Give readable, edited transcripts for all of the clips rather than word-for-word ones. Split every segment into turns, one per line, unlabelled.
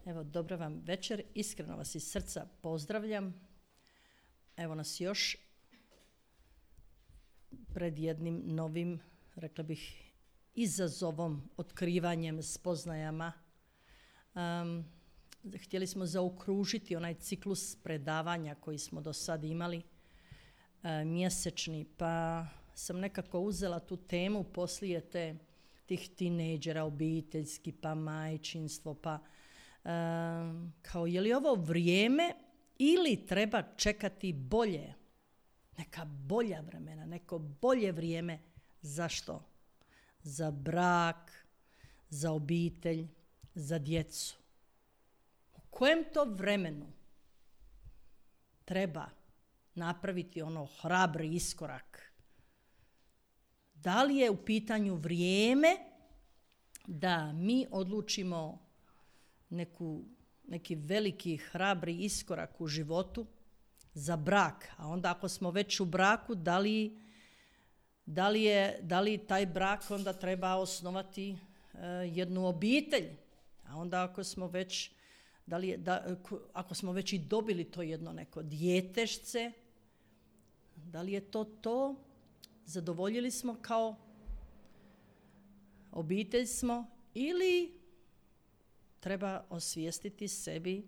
Evo, dobra vam večer, iskreno vas iz srca pozdravljam. Evo nas još pred jednim novim, rekla bih, izazovom, otkrivanjem, spoznajama. Htjeli smo zaokružiti onaj ciklus predavanja koji smo do sad imali, mjesečni, pa sam nekako uzela tu temu poslije tih tinejdžera, obiteljski, pa majčinstvo, pa kao je li ovo vrijeme ili treba čekati bolje, neka bolja vremena, neko bolje vrijeme. Zašto? Za brak, za obitelj, za djecu. U kojem to vremenu treba napraviti ono hrabri iskorak? Da li je u pitanju vrijeme da mi odlučimo neki veliki hrabri iskorak u životu za brak? A onda ako smo već u braku, da li taj brak onda treba osnovati jednu obitelj? A onda ako smo već i dobili to jedno neko djetešce, da li je to? Zadovoljili smo kao obitelj smo ili treba osvijestiti sebi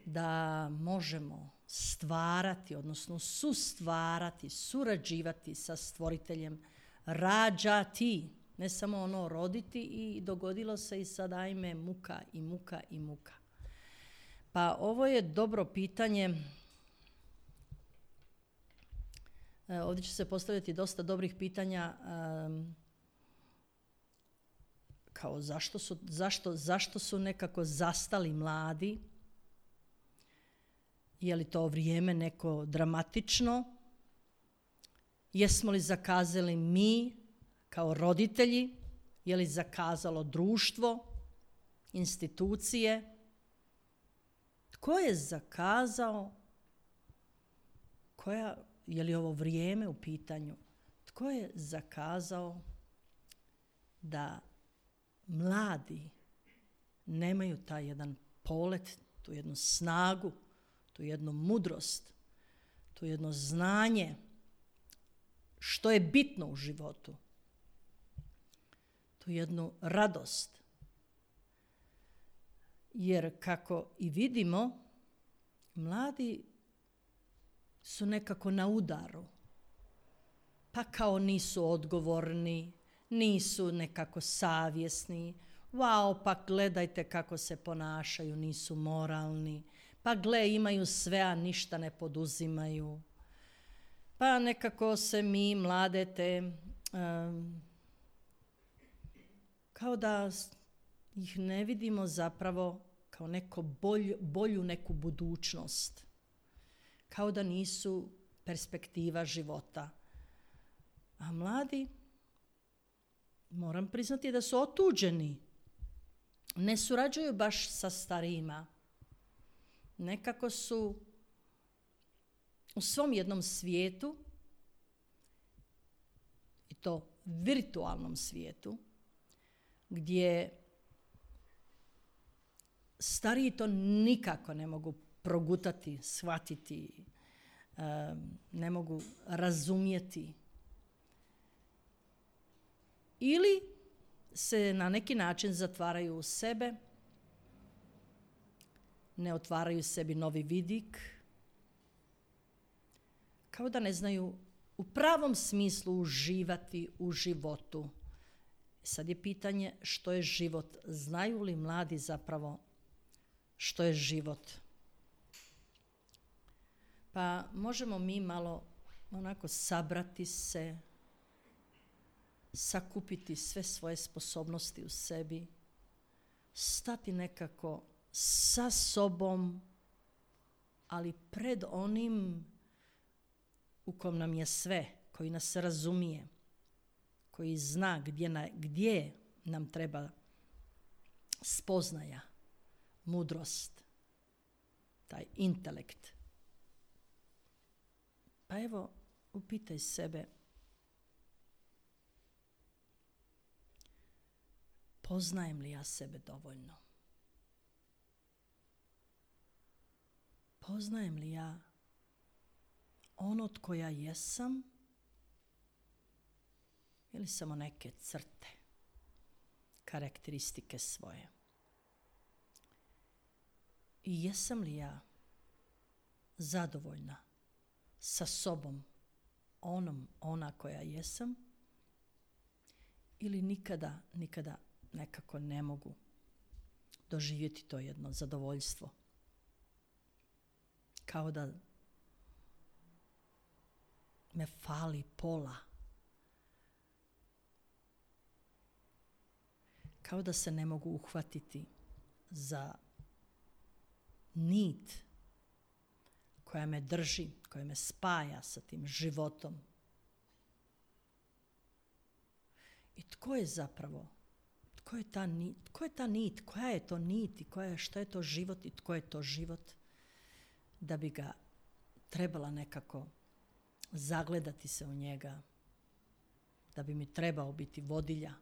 da možemo stvarati, odnosno sustvarati, surađivati sa stvoriteljem, rađati, ne samo ono roditi i dogodilo se i sad ajme muka i muka i muka. Pa ovo je dobro pitanje. Ovdje će se postaviti dosta dobrih pitanja, kao zašto su nekako zastali mladi? Je li to vrijeme neko dramatično? Jesmo li zakazali mi kao roditelji? Je li zakazalo društvo, institucije? Tko je zakazao? Je li ovo vrijeme u pitanju? Tko je zakazao da mladi nemaju taj jedan polet, tu jednu snagu, tu jednu mudrost, tu jedno znanje, što je bitno u životu, tu jednu radost? Jer kako i vidimo, mladi su nekako na udaru, pa kao nisu odgovorni, nisu nekako savjesni, pa gledajte kako se ponašaju, nisu moralni, pa imaju sve, a ništa ne poduzimaju. Pa nekako se mi mlade kao da ih ne vidimo zapravo kao bolju neku budućnost. Kao da nisu perspektiva života. A mladi, moram priznati da su otuđeni. Ne surađuju baš sa starijima. Nekako su u svom jednom svijetu, i to virtualnom svijetu, gdje stariji to nikako ne mogu progutati, shvatiti, ne mogu razumjeti. Ili se na neki način zatvaraju u sebe, ne otvaraju sebi novi vidik, kao da ne znaju u pravom smislu uživati u životu. Sad je pitanje što je život. Znaju li mladi zapravo što je život? Pa možemo mi malo onako sabrati se, sakupiti sve svoje sposobnosti u sebi, stati nekako sa sobom, ali pred onim u kom nam je sve, koji nas razumije, koji zna gdje nam treba spoznaja, mudrost, taj intelekt. Pa evo, upitaj sebe, poznajem li ja sebe dovoljno? poznajem li ja ono tko ja jesam ili samo neke crte, karakteristike svoje. I jesam li ja zadovoljna sa sobom, ona koja jesam, ili nikada nekako ne mogu doživjeti to jedno zadovoljstvo. Kao da me fali pola. Kao da se ne mogu uhvatiti za nit koja me drži, koja me spaja sa tim životom. I tko je zapravo? Tko je ta nit? Koja je to nit i šta je to život i tko je to život? Da bi ga trebala nekako zagledati se u njega. Da bi mi trebao biti vodilja.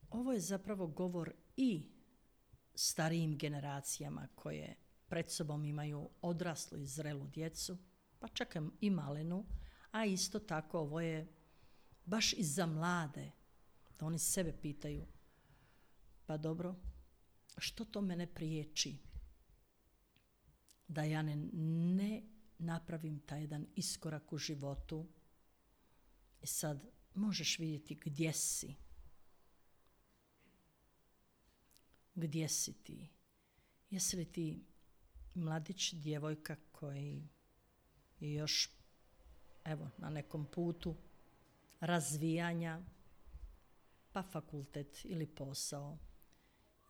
Ovo je zapravo govor i starijim generacijama koje pred sobom imaju odraslu i zrelu djecu, pa čak i malenu, a isto tako ovo je baš i za mlade, da oni sebe pitaju, pa što to mene priječi da ja ne napravim taj jedan iskorak u životu. I sad možeš vidjeti gdje si. Gdje si ti? Jesi li ti mladić, djevojka koji je još na nekom putu razvijanja, pa fakultet ili posao,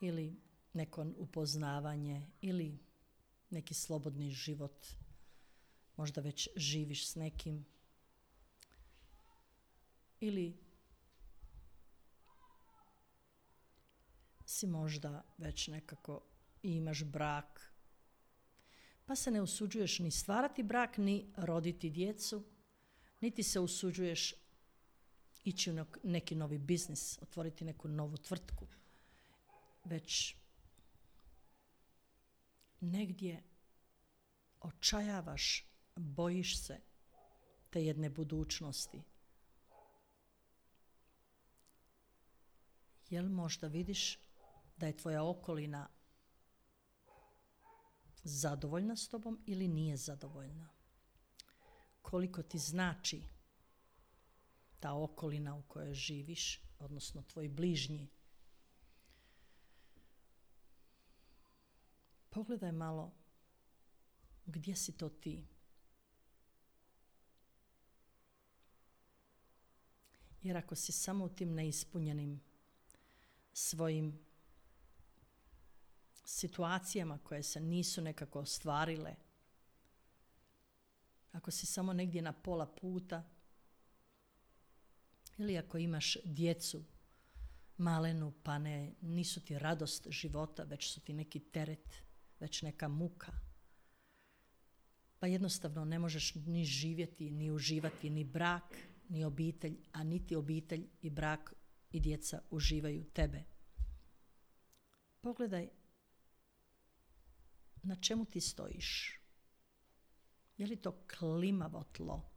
ili neko upoznavanje, ili neki slobodni život, možda već živiš s nekim, ili si možda već nekako imaš brak, pa se ne usuđuješ ni stvarati brak, ni roditi djecu, niti se usuđuješ ići u neki novi biznis, otvoriti neku novu tvrtku, već negdje očajavaš, bojiš se te jedne budućnosti. Jel možda vidiš da je tvoja okolina zadovoljna s tobom ili nije zadovoljna? Koliko ti znači ta okolina u kojoj živiš, odnosno tvoji bližnji? Pogledaj malo gdje si to ti. Jer ako si samo u tim neispunjenim svojim situacijama koje se nisu nekako ostvarile, ako si samo negdje na pola puta, ili ako imaš djecu malenu, pa nisu ti radost života, već su ti neki teret, već neka muka, pa jednostavno ne možeš ni živjeti, ni uživati, ni brak, ni obitelj, a niti obitelj i brak i djeca uživaju tebe. Pogledaj na čemu ti stojiš. Je li to klimavo tlo?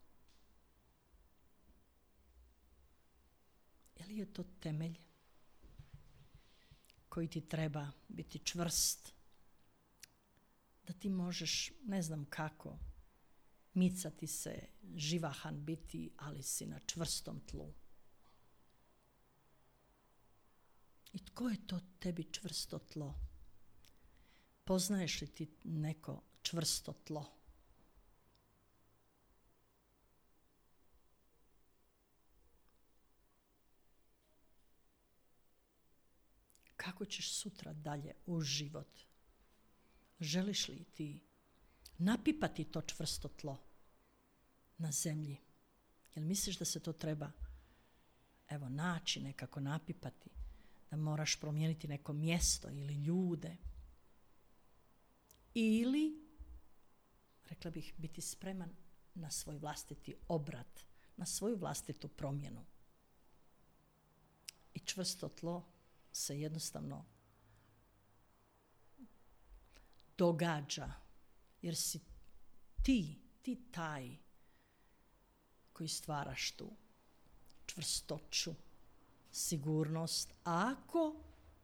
Je li je to temelj koji ti treba biti čvrst, da ti možeš, ne znam kako, micati se, živahan biti, ali si na čvrstom tlu? I tko je to tebi čvrsto tlo? Poznaješ li ti neko čvrsto tlo? Kako ćeš sutra dalje u život? Želiš li ti napipati to čvrsto tlo na zemlji? Jel misliš da se to treba naći, nekako napipati? Da moraš promijeniti neko mjesto ili ljude? Ili, rekla bih, biti spreman na svoj vlastiti obrat, na svoju vlastitu promjenu. I čvrsto tlo se jednostavno događa. Jer si ti taj koji stvaraš tu čvrstoću, sigurnost, ako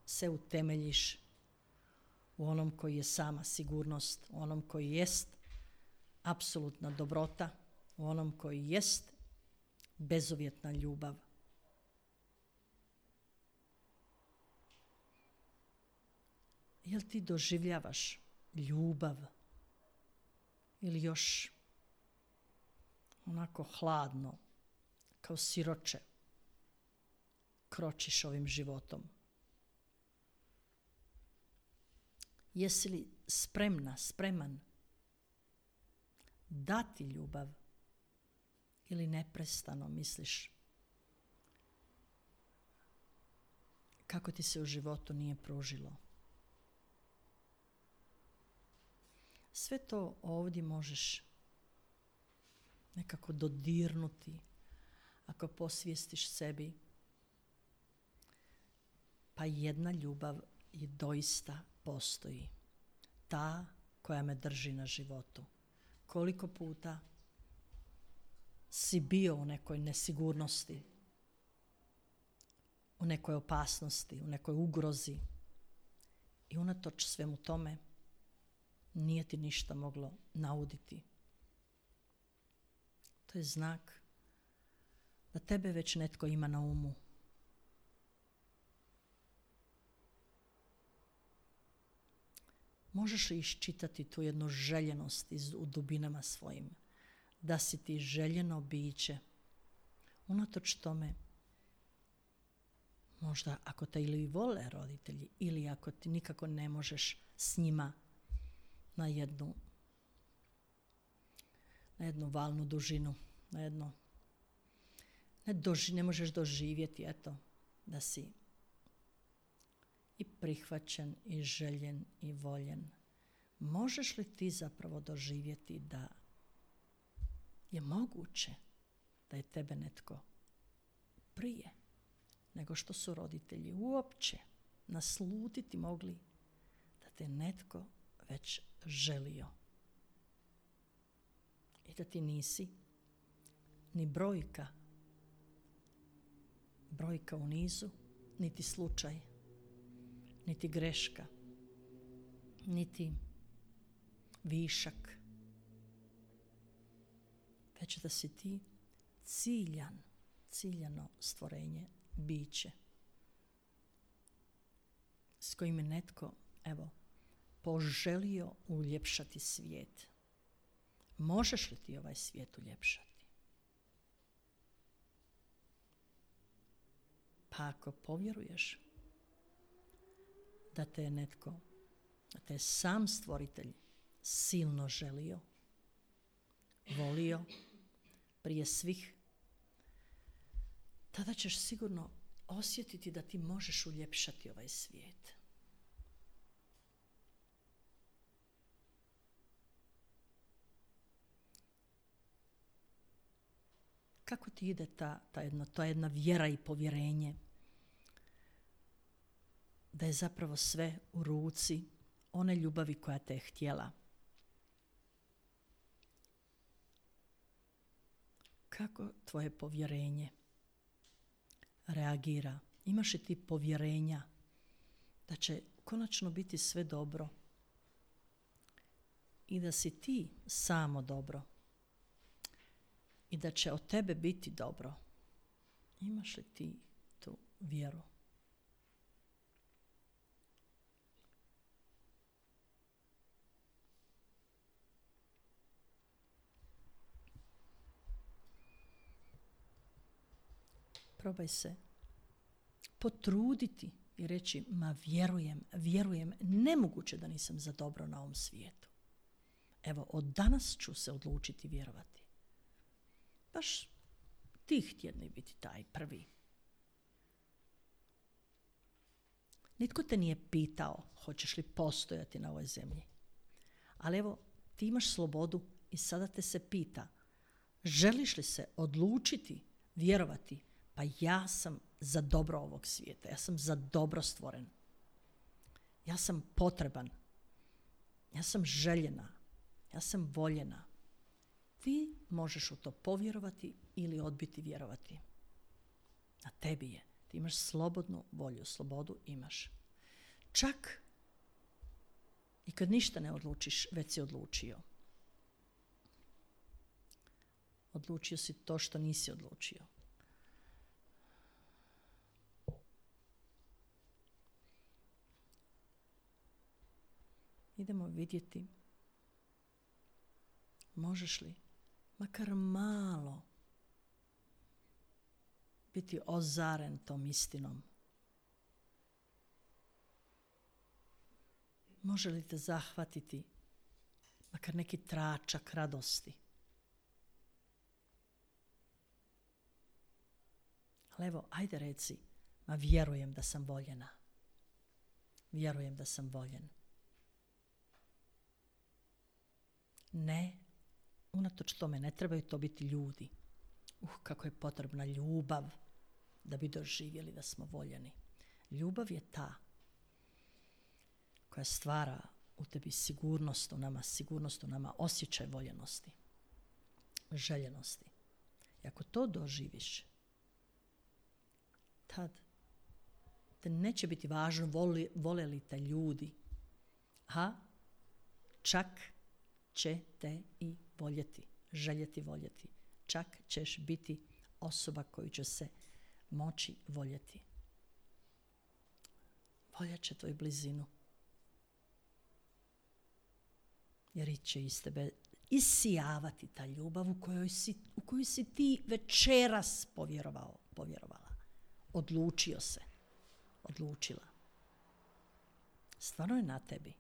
se utemeljiš u onom koji je sama sigurnost, u onom koji jest apsolutna dobrota, u onom koji jest bezuvjetna ljubav. Jel ti doživljavaš ljubav ili još onako hladno, kao siroče, kročiš ovim životom? Jesi li spreman dati ljubav ili neprestano misliš kako ti se u životu nije pružilo? Sve to ovdje možeš nekako dodirnuti ako posvijestiš sebi. Pa jedna ljubav i doista postoji. Ta koja me drži na životu. Koliko puta si bio u nekoj nesigurnosti, u nekoj opasnosti, u nekoj ugrozi i unatoč svemu tome nije ti ništa moglo nauditi. To je znak da tebe već netko ima na umu. Možeš li iščitati tu jednu željenost u dubinama svojim, da si ti željeno biće, unatoč tome, možda ako te ili vole roditelji, ili ako ti nikako ne možeš s njima na jednu valnu dužinu, ne možeš doživjeti, da si i prihvaćen, i željen, i voljen. Možeš li ti zapravo doživjeti da je moguće da je tebe netko prije nego što su roditelji uopće naslutiti mogli da te netko već želio? I da ti nisi ni brojka u nizu, niti slučaj, niti greška, niti višak, već da si ti ciljano stvorenje, biće s kojim je netko, poželio uljepšati svijet. Možeš li ti ovaj svijet uljepšati? Pa ako povjeruješ da te je netko, da te je sam stvoritelj silno želio, volio prije svih, tada ćeš sigurno osjetiti da ti možeš uljepšati ovaj svijet. Kako ti ide ta jedna vjera i povjerenje da je zapravo sve u ruci one ljubavi koja te je htjela? Kako tvoje povjerenje reagira? Imaš li ti povjerenja da će konačno biti sve dobro i da si ti samo dobro i da će od tebe biti dobro? Imaš li ti tu vjeru? Probaj se potruditi i reći, vjerujem, nemoguće da nisam za dobro na ovom svijetu. Evo, od danas ću se odlučiti vjerovati. Baš tih tjedni biti taj prvi. Nitko te nije pitao hoćeš li postojati na ovoj zemlji. Ali evo, ti imaš slobodu i sada te se pita, želiš li se odlučiti vjerovati? Pa ja sam za dobro ovog svijeta, ja sam za dobro stvoren. Ja sam potreban Ja sam željena. Ja sam voljena. Ti možeš u to povjerovati ili odbiti vjerovati. Na tebi je. Ti imaš slobodnu volju. Slobodu imaš. Čak i kad ništa ne odlučiš, već si odlučio. Odlučio si to što nisi odlučio. Idemo vidjeti možeš li makar malo biti ozaren tom istinom. Može li te zahvatiti makar neki tračak radosti? Ali evo, ajde reci, ma vjerujem da sam voljena. Vjerujem da sam voljen. Ne, unatoč tome ne trebaju to biti ljudi. Kako je potrebna ljubav da bi doživjeli da smo voljeni. Ljubav je ta koja stvara u tebi sigurnost u nama, osjećaj voljenosti, željenosti. I ako to doživiš, tad te neće biti važno vole li te ljudi, a čak će te i voljeti, željeti voljeti. Čak ćeš biti osoba koju će se moći voljeti. Voljat će tvoju blizinu. Jer će iz tebe isijavati ta ljubav u koju si ti večeras povjerovala. Odlučio se. Odlučila. Stvarno je na tebi.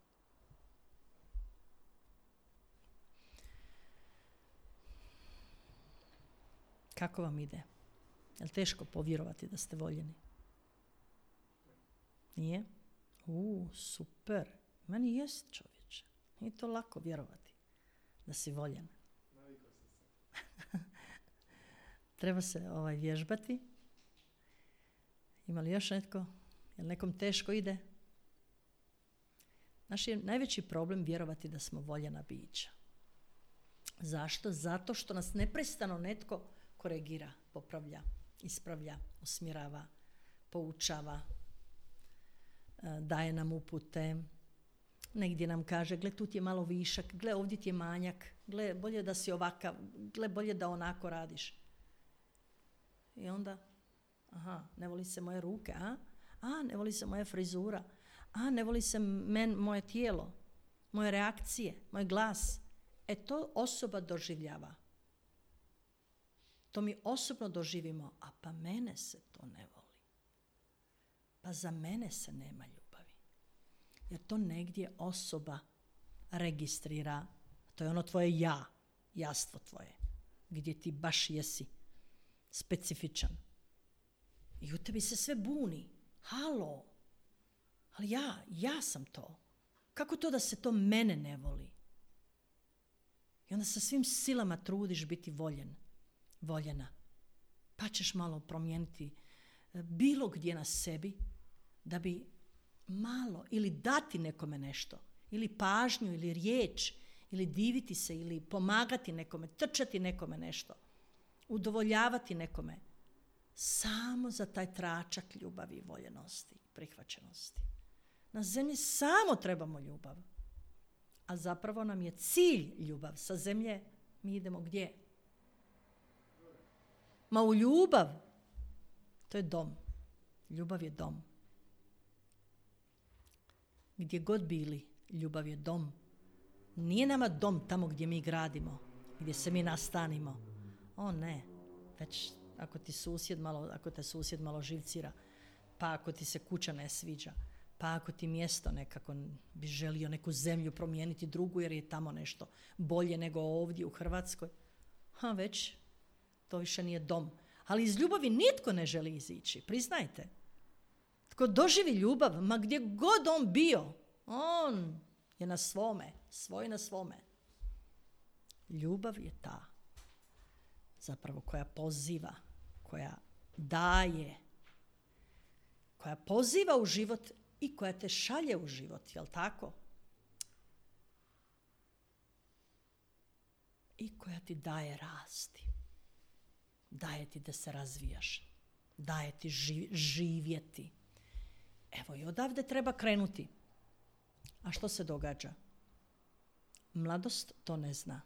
Kako vam ide? Je li teško povjerovati da ste voljeni? Nije? Super. Meni jest, čovječe. Nije to lako vjerovati da si voljen. Treba se vježbati. Ima li još netko? Je li nekom teško ide? Naš je najveći problem vjerovati da smo voljena bića. Zašto? Zato što nas neprestano netko koregira, popravlja, ispravlja, usmjerava, poučava, daje nam upute, negdje nam kaže, gle tu ti je malo višak, gle ovdje ti je manjak, gle bolje da si ovakav, gle bolje da onako radiš. I onda, ne voli se moje ruke, ne voli se moja frizura, ne voli se moje tijelo, moje reakcije, moj glas. To osoba doživljava. To mi osobno doživimo, a pa mene se to ne voli. Pa za mene se nema ljubavi. Jer to negdje osoba registrira, to je ono tvoje ja, jastvo tvoje, gdje ti baš jesi specifičan. I u tebi se sve buni. Halo, ali ja sam to. Kako to da se to mene ne voli? I onda sa svim silama trudiš biti voljena. Pa ćeš malo promijeniti bilo gdje na sebi da bi malo ili dati nekome nešto, ili pažnju, ili riječ, ili diviti se, ili pomagati nekome, trčati nekome nešto, udovoljavati nekome. Samo za taj tračak ljubavi, voljenosti, prihvaćenosti. Na zemlji samo trebamo ljubav. A zapravo nam je cilj ljubav. Sa zemlje mi idemo gdje? Ma u ljubav. To je dom. Ljubav je dom. Gdje god bili, ljubav je dom. Nije nama dom tamo gdje mi gradimo, gdje se mi nastanimo. Ne, već ako te susjed malo živcira, pa ako ti se kuća ne sviđa, pa ako ti mjesto nekako bi želio neku zemlju promijeniti drugu jer je tamo nešto bolje nego ovdje u Hrvatskoj, već to više nije dom. Ali iz ljubavi nitko ne želi izići, priznajte. Tko doživi ljubav, ma gdje god on bio, on je na svome, svoj na svome. Ljubav je ta zapravo koja poziva, koja daje, koja poziva u život i koja te šalje u život, jel tako? i koja ti daje rasti. Daje ti da se razvijaš. Daje ti živjeti. Evo i odavde treba krenuti. A što se događa? Mladost to ne zna.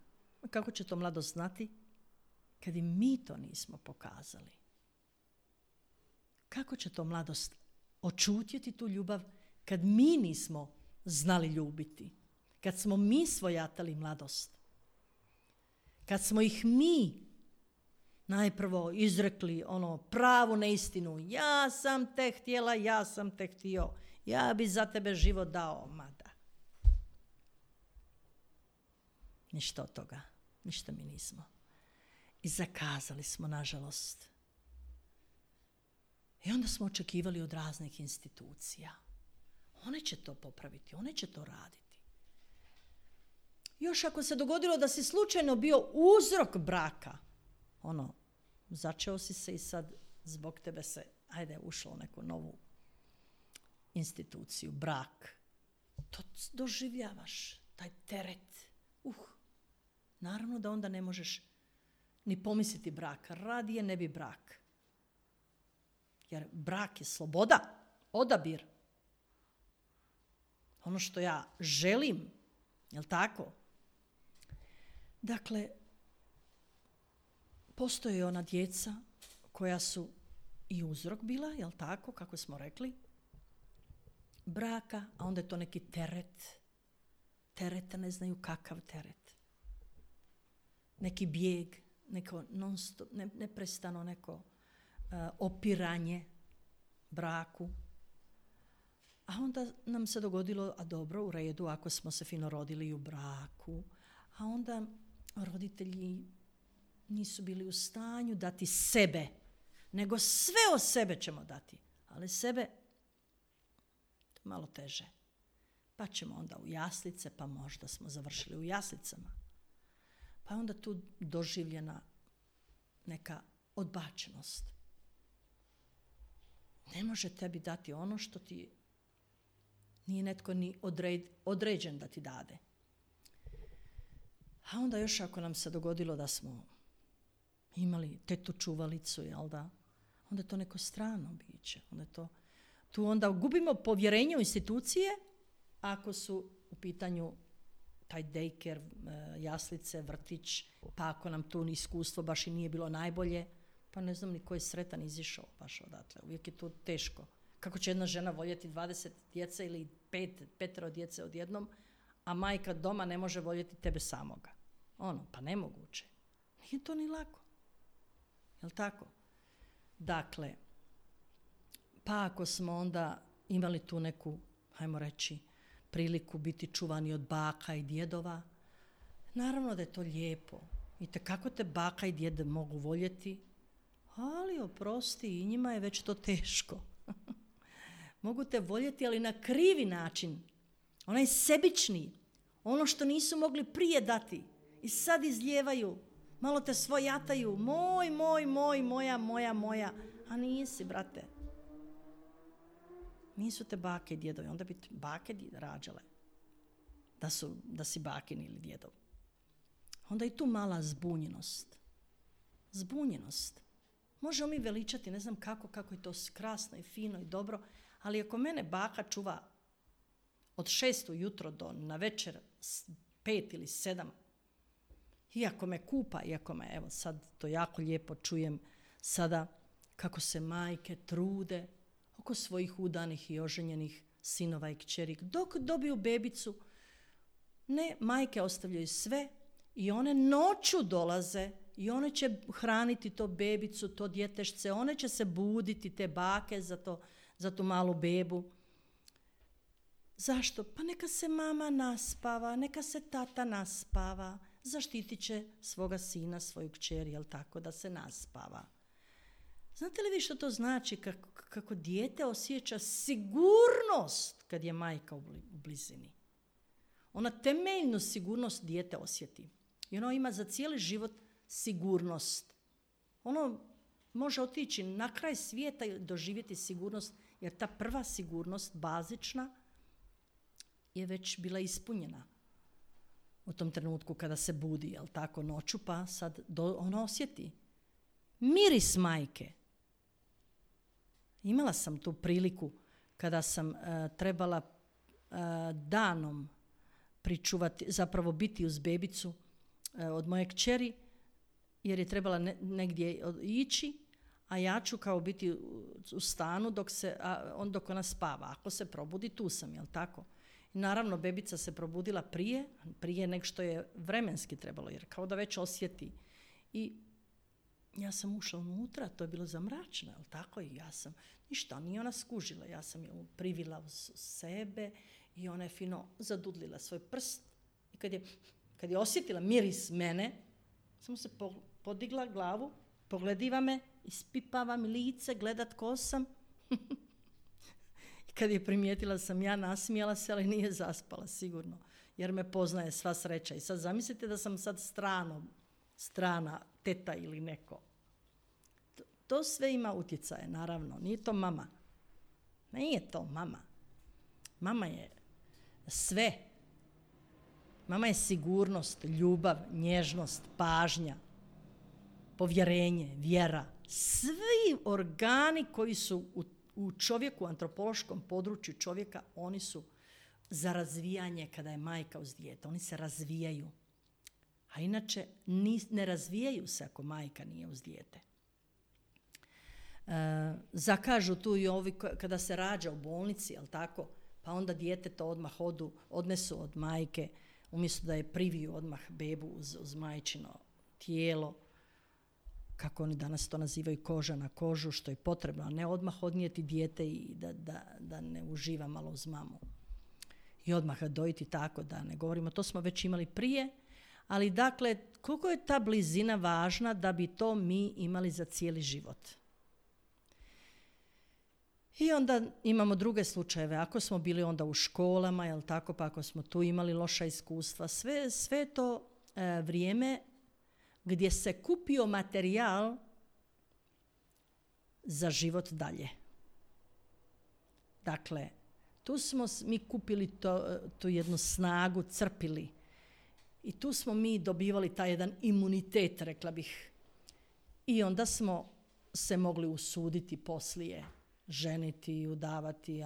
Kako će to mladost znati? Kad i mi to nismo pokazali. Kako će to mladost očutjeti tu ljubav kad mi nismo znali ljubiti? Kad smo mi svojatali mladost? Kad smo ih mi najprvo izrekli pravu neistinu. Ja sam te htjela, ja sam te htio. Ja bi za tebe život dao, mada. Ništa od toga. Ništa mi nismo. I zakazali smo, nažalost. I onda smo očekivali od raznih institucija. One će to popraviti, one će to raditi. Još ako se dogodilo da si slučajno bio uzrok braka, začeo si se i sad zbog tebe se, ušlo u neku novu instituciju, brak. To doživljavaš, taj teret. Naravno da onda ne možeš ni pomisliti brak. Radije ne bi brak. Jer brak je sloboda, odabir. Ono što ja želim, jel tako? Dakle, postoje ona djeca koja su i uzrok bila, jel tako, kako smo rekli, braka, a onda je to neki teret. Tereta ne znaju kakav teret. Neki bijeg, neko non-stop, neprestano neko opiranje braku. A onda nam se dogodilo, a dobro, u redu, ako smo se fino rodili u braku, a onda roditelji nisu bili u stanju dati sebe, nego sve od sebe ćemo dati. Ali sebe malo teže. Pa ćemo onda u jaslice, pa možda smo završili u jaslicama. Pa onda tu doživljena neka odbačenost. Ne može tebi dati ono što ti nije netko ni određen da ti dade. A onda još ako nam se dogodilo da smo imali tetu čuvalicu, jel da? Onda je to neko strano biće. Tu onda gubimo povjerenje u institucije ako su u pitanju taj daycare, jaslice, vrtić, pa ako nam tu iskustvo baš i nije bilo najbolje, pa ne znam ni ko je sretan izišao baš odatle. Uvijek je to teško. Kako će jedna žena voljeti 20 djece ili 5 djece odjednom, a majka doma ne može voljeti tebe samoga. Pa nemoguće. Nije to ni lako. Jel' tako? Dakle, pa ako smo onda imali tu neku, hajmo reći, priliku biti čuvani od baka i djedova, naravno da je to lijepo. I kako te baka i djed mogu voljeti, ali oprosti, i njima je već to teško. Mogu te voljeti, ali na krivi način. Onaj sebični, ono što nisu mogli prije dati i sad izlijevaju, malo te svojataju, moj, moja, a nisi, brate. Nisu te bake i djedovi, onda bi bake rađale da si bakin ili djedov. Onda i tu mala zbunjenost. Možemo mi veličati, ne znam kako je to krasno i fino i dobro, ali ako mene baka čuva od 6 ujutro do na večer 5 ili 7, iako me kupa, evo sad to jako lijepo čujem sada kako se majke trude oko svojih udanih i oženjenih sinova i kćeri. Dok dobiju bebicu, ne, majke ostavljaju sve i one noću dolaze i one će hraniti to bebicu, to djetešce, one će se buditi, te bake za tu malu bebu. Zašto? Pa neka se mama naspava, neka se tata naspava, zaštitit će svoga sina, svoju kćer, jel tako, da se naspava. Znate li vi što to znači kako dijete osjeća sigurnost kad je majka u blizini? Ona temeljnu sigurnost dijete osjeti. I ono ima za cijeli život sigurnost. Ono može otići na kraj svijeta i doživjeti sigurnost, jer ta prva sigurnost, bazična, je već bila ispunjena. u tom trenutku kada se budi, jel tako, noću, pa sad ona osjeti miris majke. Imala sam tu priliku kada sam trebala danom pričuvati, zapravo biti uz bebicu od moje kćeri, jer je trebala negdje ići, a ja ću kao biti u stanu dok ona spava. Ako se probudi, tu sam, jel tako? I naravno, bebica se probudila prije nego što je vremenski trebalo, jer kao da već osjeti. I ja sam ušla unutra, to je bilo zamračno, jel tako? I ja sam, ništa, nije ona skužila. Ja sam ju privila uz sebe i ona je fino zadudlila svoj prst. I kad je osjetila miris mene, samo se podigla glavu, poglediva me, ispipava mi lice, gledat ko sam. I kad je primijetila sam ja, nasmijala se, ali nije zaspala sigurno, jer me poznaje, sva sreća. I sad zamislite da sam sad strana teta ili neko. To sve ima utjecaje, naravno. Nije to mama. Nije to mama. Mama je sve. Mama je sigurnost, ljubav, nježnost, pažnja, povjerenje, vjera. Svi organi koji su u čovjeku, u antropološkom području čovjeka, oni su za razvijanje kada je majka uz dijete. Oni se razvijaju. A inače ne razvijaju se ako majka nije uz dijete. Zakažu tu i ovi kada se rađa u bolnici, jel tako? Pa onda dijete to odmah odnesu od majke, umjesto da je priviju odmah bebu uz majčino tijelo, kako oni danas to nazivaju, koža na kožu, što je potrebno, a ne odmah odnijeti dijete i da ne uživa malo uz mamu. I odmah ga dojiti tako, da ne govorimo, to smo već imali prije, ali dakle, koliko je ta blizina važna da bi to mi imali za cijeli život. I onda imamo druge slučajeve. Ako smo bili onda u školama, jel tako, pa ako smo tu imali loša iskustva, sve to vrijeme gdje se kupio materijal za život dalje. Dakle, tu smo mi kupili tu jednu snagu, crpili. I tu smo mi dobivali taj jedan imunitet, rekla bih. I onda smo se mogli usuditi poslije, ženiti, udavati,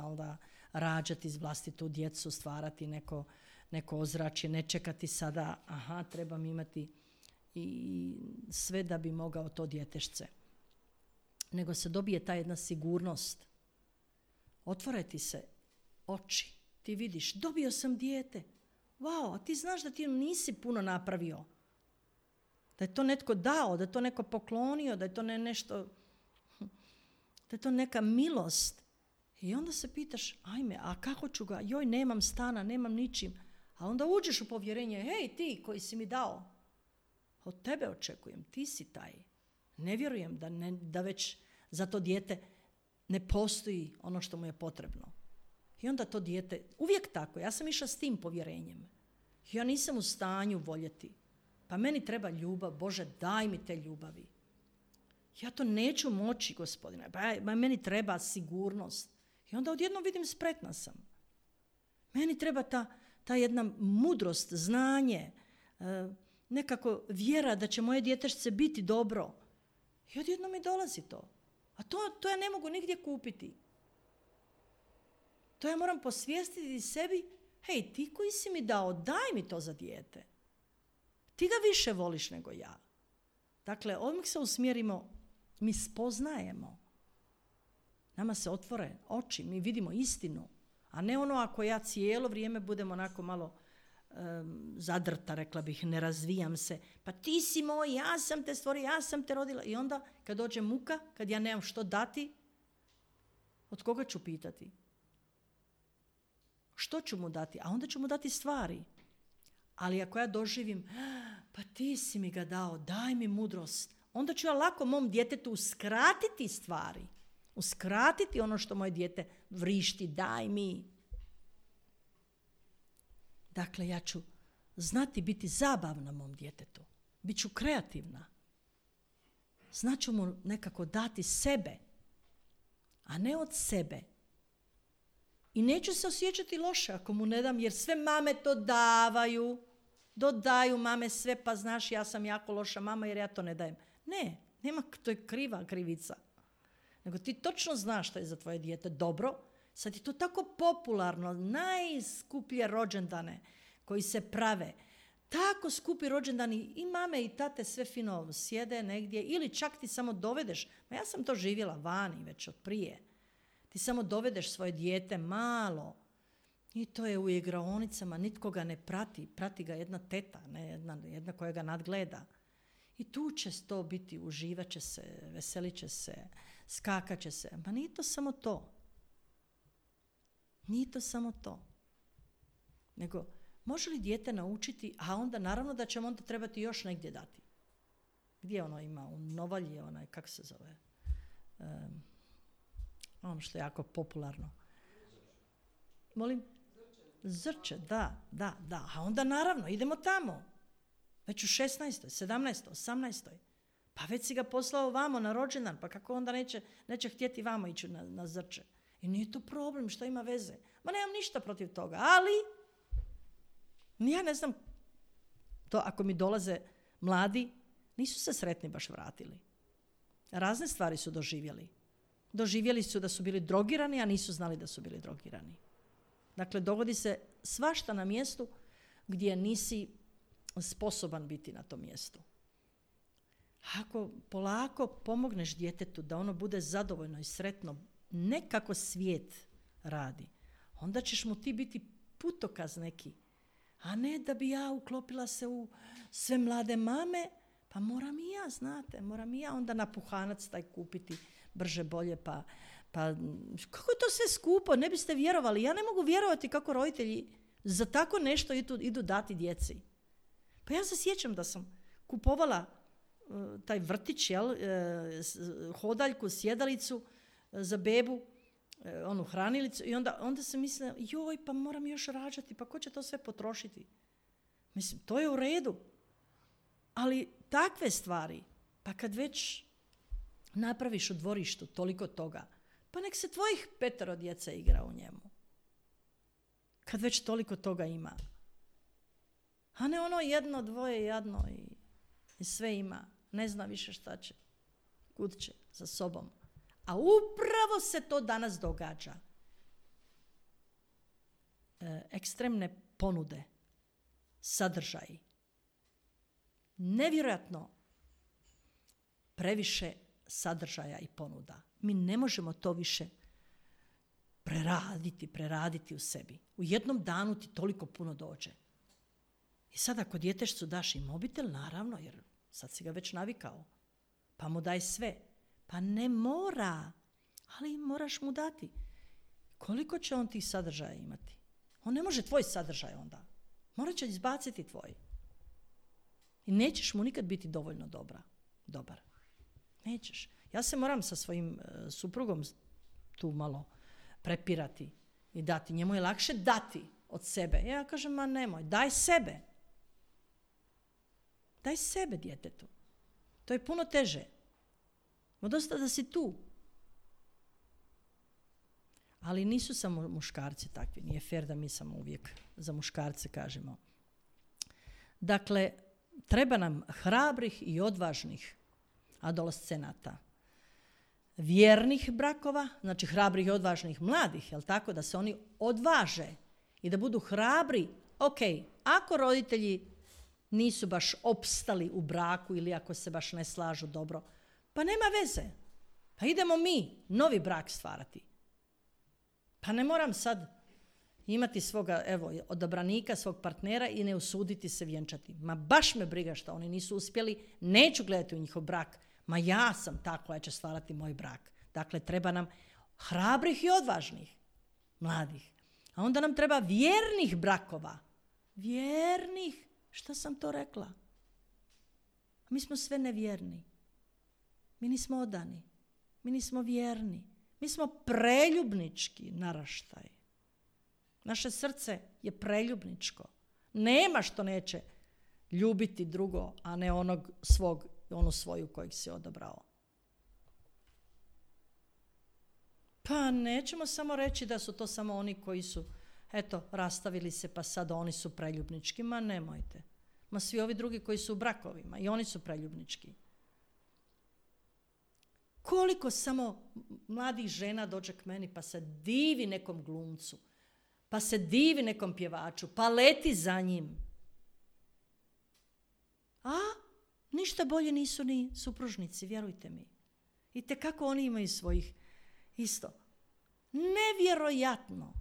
rađati iz vlastitu djecu, stvarati neko ozračje, ne čekati sada, trebam imati i sve da bi mogao to djetešce. Nego se dobije ta jedna sigurnost. Otvore ti se oči, ti vidiš, dobio sam dijete. Wow, a ti znaš da ti nisi puno napravio. Da je to netko dao, da je to neko poklonio, da je to nešto, da je to neka milost. I onda se pitaš, ajme, a kako ću ga, joj, nemam stana, nemam ničim. A onda uđeš u povjerenje, hej, ti koji si mi dao, od tebe očekujem, ti si taj. Ne vjerujem da već za to dijete ne postoji ono što mu je potrebno. I onda to dijete, uvijek tako, ja sam išla s tim povjerenjem. Ja nisam u stanju voljeti. Pa meni treba ljubav, Bože, daj mi te ljubavi. Ja to neću moći, Gospodine, pa meni treba sigurnost. I onda odjednom vidim, spretna sam. Meni treba ta jedna mudrost, znanje, nekako vjera da će moje djetešce biti dobro. I odjednom mi dolazi to. A to ja ne mogu nigdje kupiti. To ja moram posvijestiti sebi, hej, ti koji si mi dao, daj mi to za dijete. Ti ga više voliš nego ja. Dakle, odmah se usmjerimo, mi spoznajemo. Nama se otvore oči, mi vidimo istinu. A ne ono ako ja cijelo vrijeme budem onako malo zadrta, rekla bih, ne razvijam se. Pa ti si moj, ja sam te stvorio, ja sam te rodila. I onda kad dođe muka, kad ja nemam što dati, od koga ću pitati? Što ću mu dati? A onda ću mu dati stvari. Ali ako ja doživim, pa ti si mi ga dao, daj mi mudrost, onda ću ja lako mom djetetu uskratiti stvari. Uskratiti ono što moje dijete vrišti, daj mi. Dakle, ja ću znati biti zabavna mom djetetu. Biću kreativna. Znaću mu nekako dati sebe, a ne od sebe. I neću se osjećati loše ako mu ne dam, jer sve mame to davaju. dodaju mame sve, pa znaš ja sam jako loša mama jer ja to ne dajem. Ne, nema, to je krivica. Nego ti točno znaš što je za tvoje dijete dobro. Sad je to tako popularno, najskuplje rođendane koji se prave. Tako skupi rođendani i mame i tate sve fino sjede negdje ili čak ti samo dovedeš. Ma ja sam to živjela vani već od prije. Ti samo dovedeš svoje dijete malo i to je u igraonicama, nitko ga ne prati. Prati ga jedna teta, ne jedna koja ga nadgleda. I tu će to biti, uživat će se, veselit će se, skakat će se. Ma nije to samo to. Nije to samo to. Nego, može li dijete naučiti, a onda naravno da ćemo onda trebati još negdje dati. Gdje ono ima? U Novalji, onaj, kako se zove? Ono što je jako popularno. Molim? Zrče, da. A onda naravno, idemo tamo. Već u 16., 17., 18. Pa već si ga poslao vamo na rođendan, pa kako onda neće htjeti vamo ići na Zrče. I nije to problem, što ima veze. Ma nemam ništa protiv toga, ali ja ne znam, to ako mi dolaze mladi, nisu se sretni baš vratili. Razne stvari su doživjeli. Doživjeli su da su bili drogirani, a nisu znali da su bili drogirani. Dakle, dogodi se svašta na mjestu gdje nisi sposoban biti na tom mjestu. Ako polako pomogneš djetetu da ono bude zadovoljno i sretno, ne kako svijet radi, onda ćeš mu ti biti putokaz neki. A ne da bi ja uklopila se u sve mlade mame, pa moram i ja onda napuhanac taj kupiti brže bolje, pa kako je to sve skupo, ne biste vjerovali. Ja ne mogu vjerovati kako roditelji za tako nešto idu dati djeci. Pa ja se sjećam da sam kupovala taj vrtić, hodaljku, sjedalicu za bebu, onu hranilicu i onda sam mislila, joj, pa moram još rađati, pa ko će to sve potrošiti? Mislim, to je u redu. Ali takve stvari, pa kad već napraviš u dvorištu toliko toga, pa nek se tvojih 5 djece igra u njemu. Kad već toliko toga ima. A ne ono 1, 2 jadno i sve ima. Ne zna više šta će. Kud će za sobom. A upravo se to danas događa. Ekstremne ponude, sadržaji. Nevjerojatno previše sadržaja i ponuda. Mi ne možemo to više preraditi u sebi. U jednom danu ti toliko puno dođe. I sad ako djetešcu daš i mobitel, naravno, jer sad si ga već navikao, pa mu daj sve. Pa ne mora, ali moraš mu dati. Koliko će on tih sadržaja imati? On ne može tvoj sadržaj onda. Morat će izbaciti tvoj. I nećeš mu nikad biti dovoljno dobar. Nećeš. Ja se moram sa svojim suprugom tu malo prepirati i dati. Njemu je lakše dati od sebe. Ja kažem, ma nemoj, daj sebe. Daj sebe djetetu. To je puno teže. Ma dosta da si tu. Ali nisu samo muškarci takvi. Nije fair da mi samo uvijek za muškarce kažemo. Dakle, treba nam hrabrih i odvažnih adolescenata. Vjernih brakova, znači hrabrih i odvažnih mladih, jel tako, da se oni odvaže i da budu hrabri. Ok, ako roditelji nisu baš opstali u braku ili ako se baš ne slažu dobro, pa nema veze. Pa idemo mi novi brak stvarati. Pa ne moram sad imati svoga, odabranika, svog partnera i ne usuditi se vjenčati. Ma baš me briga što oni nisu uspjeli, neću gledati u njihov brak. Ma ja sam ta koja će stvarati moj brak. Dakle, treba nam hrabrih i odvažnih mladih. A onda nam treba vjernih brakova. Vjernih. Šta sam to rekla? Mi smo sve nevjerni. Mi nismo odani. Mi nismo vjerni. Mi smo preljubnički naraštaj. Naše srce je preljubničko. Nema što neće ljubiti drugo, a ne onu svoju kojeg si odabrao. Pa nećemo samo reći da su to samo oni koji su, rastavili se pa sad oni su preljubnički. Ma nemojte. Ma svi ovi drugi koji su u brakovima i oni su preljubnički. Koliko samo mladih žena dođe k meni pa se divi nekom glumcu, pa se divi nekom pjevaču, pa leti za njim. A ništa bolje nisu ni supružnici, vjerujte mi. I kako oni imaju svojih isto. Nevjerojatno.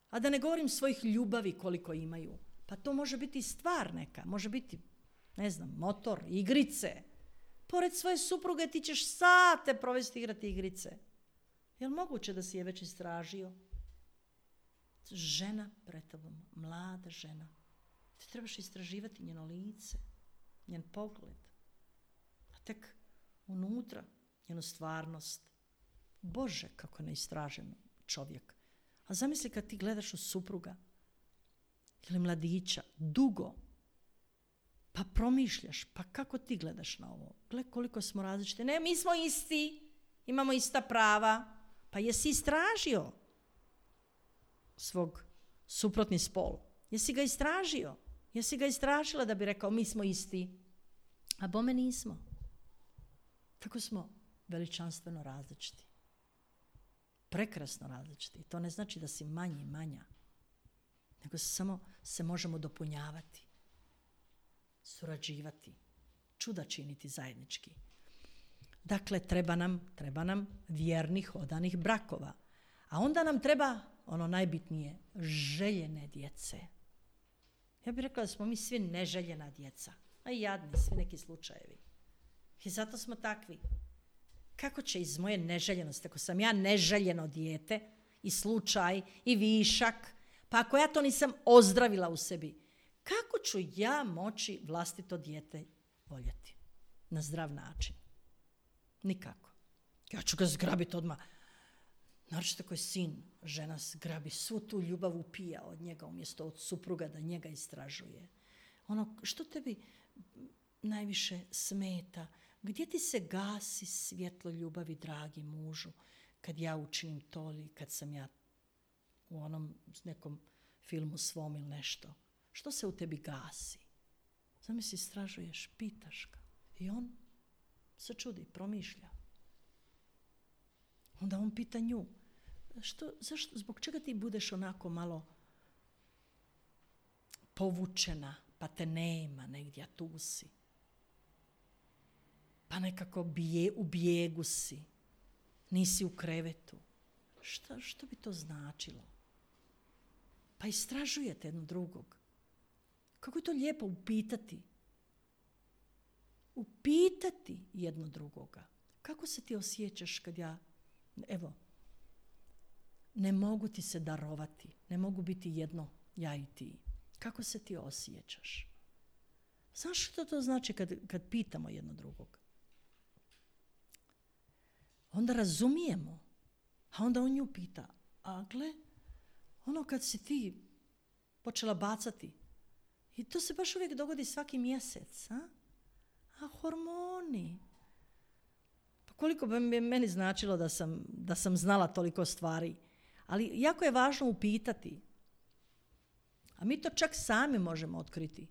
A da ne govorim svojih ljubavi koliko imaju. Pa to može biti stvar neka, može biti, ne znam, motor, igrice. Pored svoje supruge ti ćeš sate provesti igrati igrice. Je li moguće da si je već istražio? Žena pred tobom, mlada žena. Ti trebaš istraživati njeno lice, njen pogled. A tek unutra njenu stvarnost. Bože, kako neistražen čovjek. A zamisli kad ti gledaš u supruga ili mladića, dugo, pa promišljaš, pa kako ti gledaš na ovo? Gle koliko smo različiti. Ne, mi smo isti, imamo ista prava. Pa jesi istražio svog suprotni spol? Jesi ga istražio? Jesi ga istražila da bi rekao mi smo isti? A bome nismo. Tako smo veličanstveno različiti. Prekrasno različiti. To ne znači da si manji, manja. Nego samo se možemo dopunjavati. Surađivati. Čuda činiti zajednički. Dakle, treba nam vjernih, odanih brakova. A onda nam treba, ono najbitnije, željene djece. Ja bih rekla da smo mi svi neželjena djeca. A i jadni, svi neki slučajevi. I zato smo takvi. Kako će iz moje neželjenosti, ako sam ja neželjeno dijete, i slučaj, i višak, pa ako ja to nisam ozdravila u sebi, kako ću ja moći vlastito dijete voljeti na zdrav način? Nikako. Ja ću ga zgrabiti odmah. Naročito koji sin, žena zgrabi, svu tu ljubav upija od njega umjesto od supruga da njega istražuje. Ono, što tebi najviše smeta? Gdje ti se gasi svjetlo ljubavi, dragi mužu, kad ja učinim to ili kad sam ja u onom nekom filmu svom ili nešto? Što se u tebi gasi? Zamisli, istražuješ, pitaš ga. I on se čudi, promišlja. Onda on pita nju, zašto, zbog čega ti budeš onako malo povučena, pa te nema negdje, a tu si? Pa nekako u bijegu si, nisi u krevetu. Što bi to značilo? Pa istražujete jedno drugog. Kako je to lijepo upitati. Upitati jedno drugoga. Kako se ti osjećaš kad ne mogu ti se darovati, ne mogu biti jedno ja i ti. Kako se ti osjećaš? Znaš što to znači kad pitamo jedno drugog? Onda razumijemo, a onda on nju pita, a gle, ono kad si ti počela bacati, i to se baš uvijek dogodi svaki mjesec, a hormoni. Pa koliko bi meni značilo da sam znala toliko stvari. Ali jako je važno upitati. A mi to čak sami možemo otkriti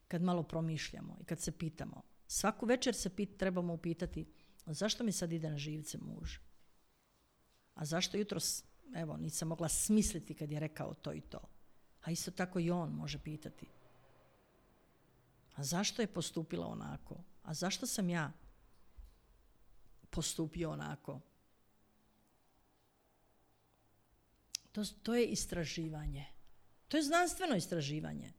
kad malo promišljamo i kad se pitamo. Svaku večer se trebamo upitati, zašto mi sad ide na živce muž? A zašto jutros, nisam mogla smisliti kad je rekao to i to. A isto tako i on može pitati. A zašto je postupila onako? A zašto sam ja postupio onako? To je istraživanje. To je znanstveno istraživanje.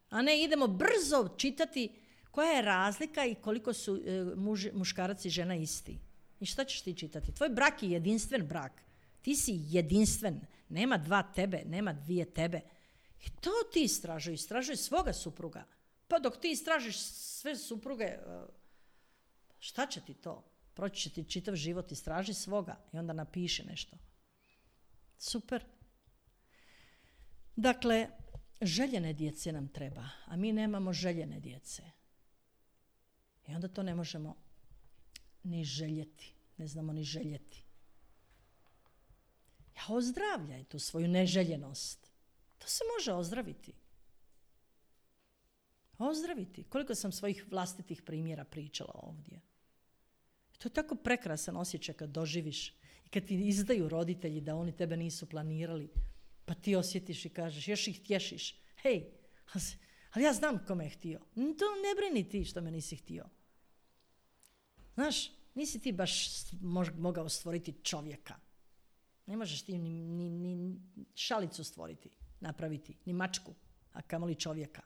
A ne idemo brzo čitati koja je razlika i koliko su muškarac i žena isti. I šta ćeš ti čitati? Tvoj brak je jedinstven brak. Ti si jedinstven. Nema dva tebe, nema dvije tebe. I to ti istražuj svoga supruga. Pa dok ti istražiš sve supruge, šta će ti to? Proći će ti čitav život, istraži svoga i onda napiši nešto. Super. Dakle, željene djece nam treba, a mi nemamo željene djece. I onda to ne možemo ni željeti. Ne znamo ni željeti. Ja ozdravljaj tu svoju neželjenost. To se može ozdraviti. Ozdraviti. Koliko sam svojih vlastitih primjera pričala ovdje. To je tako prekrasan osjećaj kad doživiš i kad ti izdaju roditelji da oni tebe nisu planirali, pa ti osjetiš i kažeš, još ih tješiš. Hej, ali ja znam kome je htio. To ne brini ti što me nisi htio. Znaš, nisi ti baš mogao stvoriti čovjeka. Ne možeš ti ni šalicu stvoriti, napraviti, ni mačku, a kamoli čovjeka.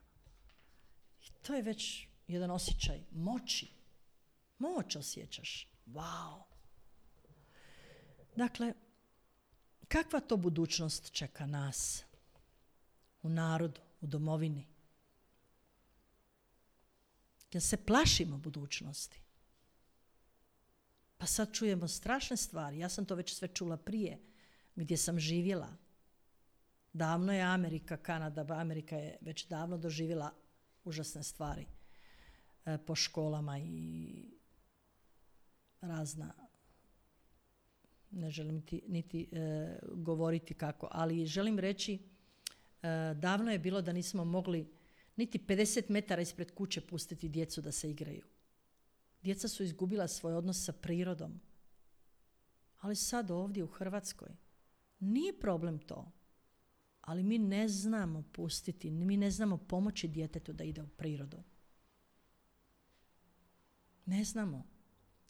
I to je već jedan osjećaj moći. Moć osjećaš. Wow. Dakle, kakva to budućnost čeka nas u narodu, u domovini? Jer se plašimo budućnosti. Pa sad čujemo strašne stvari. Ja sam to već sve čula prije, gdje sam živjela. Davno je Amerika, Kanada, Amerika je već davno doživjela užasne stvari po školama i razna, ne želim niti govoriti kako, ali želim reći, davno je bilo da nismo mogli niti 50 metara ispred kuće pustiti djecu da se igraju. Djeca su izgubila svoj odnos sa prirodom. Ali sad ovdje u Hrvatskoj nije problem to. Ali mi ne znamo pustiti, mi ne znamo pomoći djetetu da ide u prirodu. Ne znamo.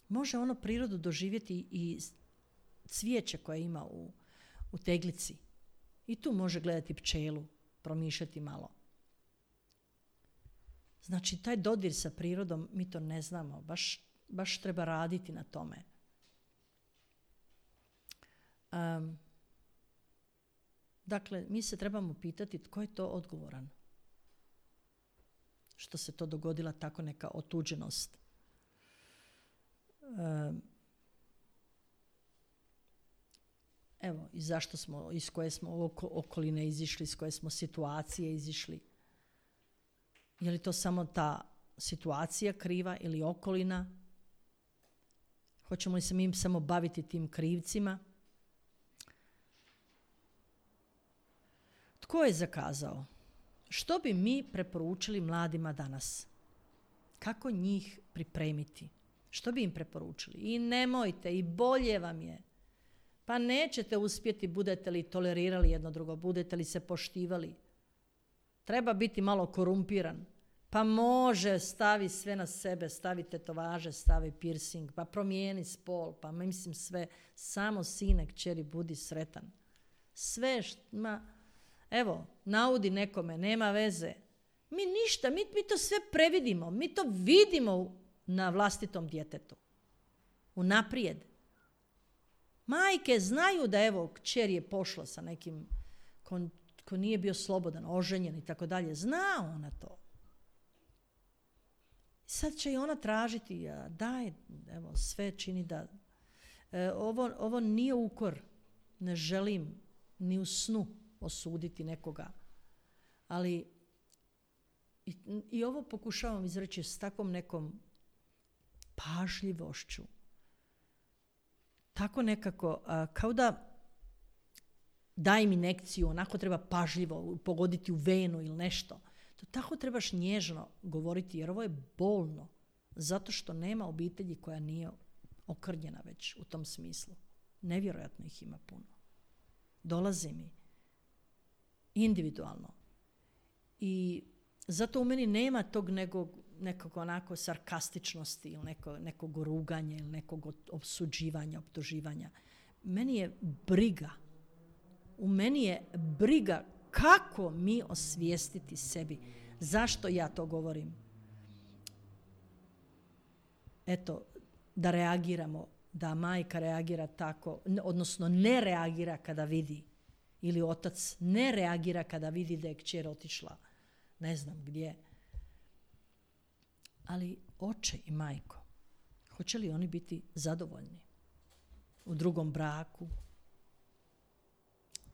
Može ono prirodu doživjeti i cvijeće koje ima u teglici. I tu može gledati pčelu, promišljati malo. Znači, taj dodir sa prirodom, mi to ne znamo. Baš treba raditi na tome. Dakle, mi se trebamo pitati tko je to odgovoran. Što se to dogodila tako neka otuđenost. Evo, i zašto smo, iz koje smo okoline izišli, iz koje smo situacije izišli. Je li to samo ta situacija kriva ili okolina? Hoćemo li se mi samo baviti tim krivcima? Tko je zakazao? Što bi mi preporučili mladima danas? Kako njih pripremiti? Što bi im preporučili? I nemojte, i bolje vam je. Pa nećete uspjeti, budete li tolerirali jedno drugo, budete li se poštivali. Treba biti malo korumpiran. Pa može, stavi sve na sebe, stavi tetovaže, stavi piercing, pa promijeni spol, pa mislim sve, samo sine, kćeri, budi sretan. Sve evo, naudi nekome, nema veze. Mi ništa, mi to sve previdimo, mi to vidimo na vlastitom djetetu. Unaprijed. Majke znaju da evo, kćer je pošla sa nekim ko nije bio slobodan, oženjen i tako dalje. Zna ona to. Sad će i ona tražiti, daj, evo, sve čini da... Ovo nije ukor, ne želim ni u snu osuditi nekoga. Ali i ovo pokušavam izreći s takvom nekom pažljivošću. Tako nekako, kao da dajem injekciju, onako treba pažljivo pogoditi u venu ili nešto. To tako trebaš nježno govoriti, jer ovo je bolno. Zato što nema obitelji koja nije okrnjena već u tom smislu. Nevjerojatno ih ima puno. Dolazi mi individualno. I zato u meni nema tog nekog onako sarkastičnosti ili nekog ruganja ili nekog opsuđivanja, optuživanja. Meni je briga. U meni je briga kako mi osvijestiti sebi. Zašto ja to govorim? Eto, da reagiramo, da majka reagira tako, odnosno ne reagira kada vidi, ili otac ne reagira kada vidi da je kćer otišla ne znam gdje. Ali oče i majko, hoće li oni biti zadovoljni u drugom braku,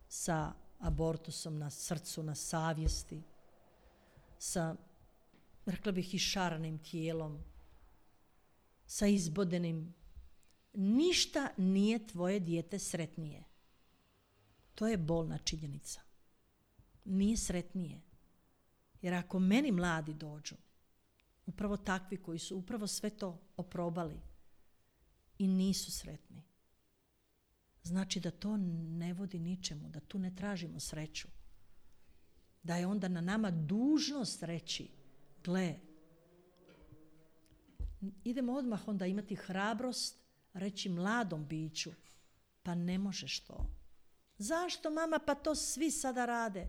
sa abortusom na srcu, na savjesti, sa, rekla bih, išaranim tijelom, sa izbodenim. Ništa nije tvoje dijete sretnije. To je bolna činjenica. Nije sretnije. Jer ako meni mladi dođu, upravo takvi koji su upravo sve to oprobali i nisu sretni, znači da to ne vodi ničemu, da tu ne tražimo sreću. Da je onda na nama dužnost reći, gle, idemo odmah onda imati hrabrost reći mladom biću, pa ne možeš to. Zašto, mama, pa to svi sada rade?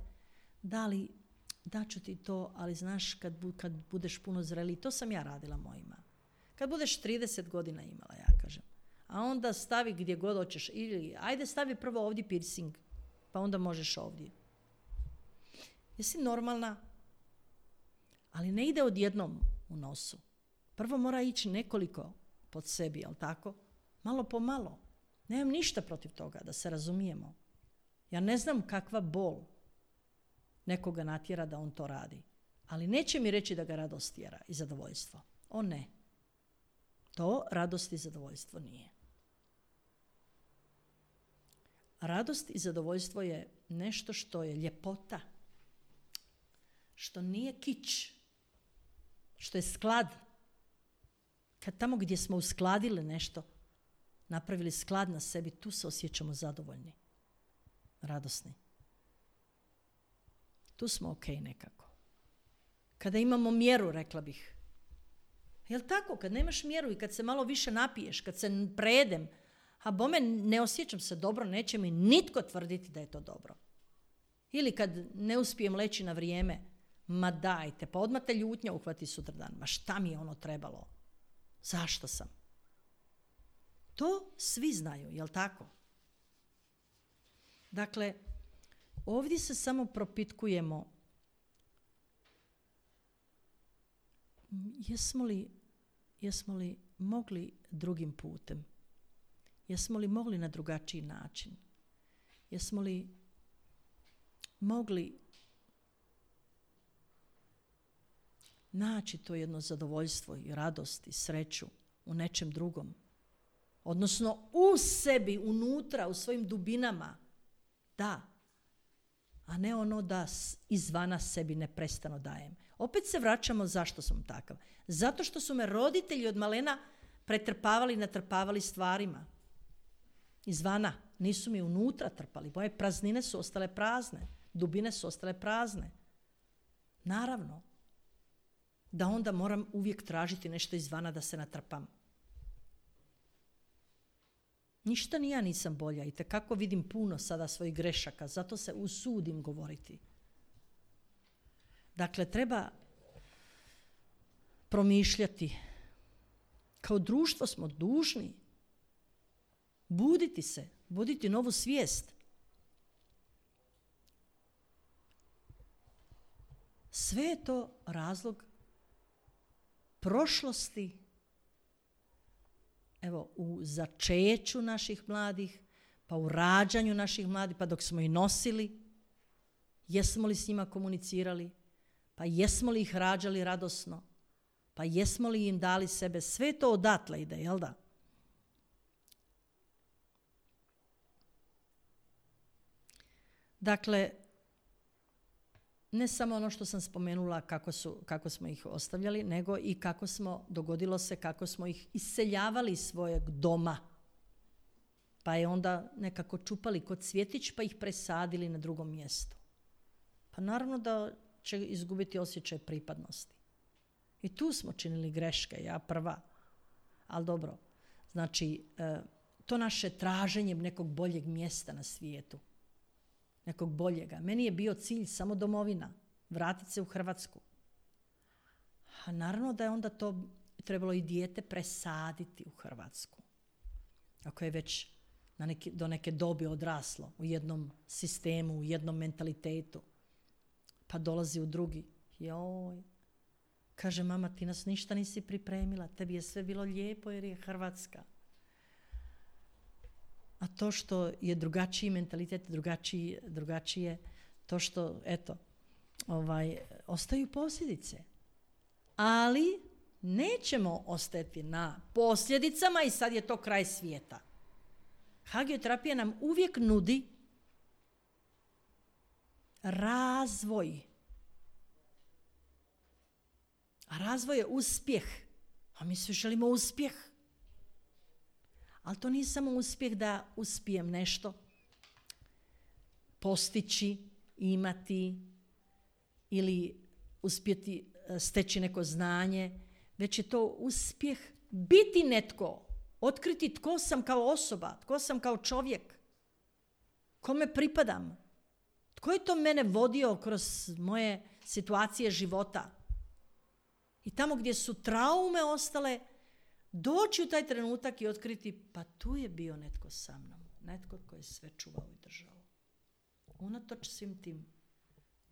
Daću ti to, ali znaš kad budeš puno zreliji, to sam ja radila mojima. Kad budeš 30 godina imala, ja kažem. A onda stavi gdje god hoćeš. Ili ajde stavi prvo ovdje piercing, pa onda možeš ovdje. Jesi normalna? Ali ne ide odjednom u nosu. Prvo mora ići nekoliko pod sebi, jel tako? Malo po malo. Nemam ništa protiv toga, da se razumijemo. Ja ne znam kakva bol nekoga natjera da on to radi. Ali neće mi reći da ga radost tjera i zadovoljstvo. O ne. To radost i zadovoljstvo nije. Radost i zadovoljstvo je nešto što je ljepota. Što nije kič. Što je sklad. Kad tamo gdje smo uskladili nešto, napravili sklad na sebi, tu se osjećamo zadovoljni. Radosni. Tu smo ok nekako. Kada imamo mjeru, rekla bih. Jel tako? Kad nemaš mjeru i kad se malo više napiješ, kad se prejedem, a bome ne osjećam se dobro, neće mi nitko tvrditi da je to dobro. Ili kad ne uspijem leći na vrijeme, ma dajte, pa odmah te ljutnja uhvati sutradan. Ma šta mi je ono trebalo? Zašto sam? To svi znaju, jel tako? Dakle, ovdje se samo propitkujemo jesmo li mogli drugim putem? Jesmo li mogli na drugačiji način? Jesmo li mogli naći to jedno zadovoljstvo i radost i sreću u nečem drugom? Odnosno u sebi, unutra, u svojim dubinama. Da. A ne ono da izvana sebi neprestano dajem. Opet se vraćamo zašto sam takav. Zato što su me roditelji od malena pretrpavali i natrpavali stvarima. Izvana. Nisu mi unutra trpali. Moje praznine su ostale prazne. Dubine su ostale prazne. Naravno. Da onda moram uvijek tražiti nešto izvana da se natrpam. Ništa ni ja nisam bolja. Itekako vidim puno sada svojih grešaka. Zato se usudim govoriti. Dakle, treba promišljati. Kao društvo smo dužni buditi se, buditi novu svijest. Sve je to razlog prošlosti. Evo, u začeću naših mladih, pa u rađanju naših mladih, pa dok smo ih nosili, jesmo li s njima komunicirali, pa jesmo li ih rađali radosno, pa jesmo li im dali sebe, sve to odatle ide, jel da? Dakle, ne samo ono što sam spomenula kako smo ih ostavljali, nego i dogodilo se kako smo ih iseljavali iz svojeg doma. Pa je onda nekako čupali kod cvjetić pa ih presadili na drugom mjestu. Pa naravno da će izgubiti osjećaj pripadnosti. I tu smo činili greške, ja prva. Ali dobro, znači to naše traženje nekog boljeg mjesta na svijetu. Nekog boljega. Meni je bio cilj samo domovina. Vratiti se u Hrvatsku. A naravno da je onda to trebalo i dijete presaditi u Hrvatsku. Ako je već do neke dobi odraslo u jednom sistemu, u jednom mentalitetu. Pa dolazi u drugi. Joj. Kaže, mama, ti nas ništa nisi pripremila. Tebi je sve bilo lijepo jer je Hrvatska. A to što je drugačiji mentalitet, drugačije, to što, eto, ostaju posljedice. Ali nećemo ostati na posljedicama i sad je to kraj svijeta. Hagioterapija nam uvijek nudi razvoj. A razvoj je uspjeh. A mi svi želimo uspjeh. Ali to nije samo uspjeh da uspijem nešto postići, imati ili uspjeti steći neko znanje, već je to uspjeh biti netko, otkriti tko sam kao osoba, tko sam kao čovjek, kome pripadam, tko je to mene vodio kroz moje situacije života. I tamo gdje su traume ostale, doći u taj trenutak i otkriti, pa tu je bio netko sa mnom, netko koji je sve čuvao i držao. Unatoč svim tim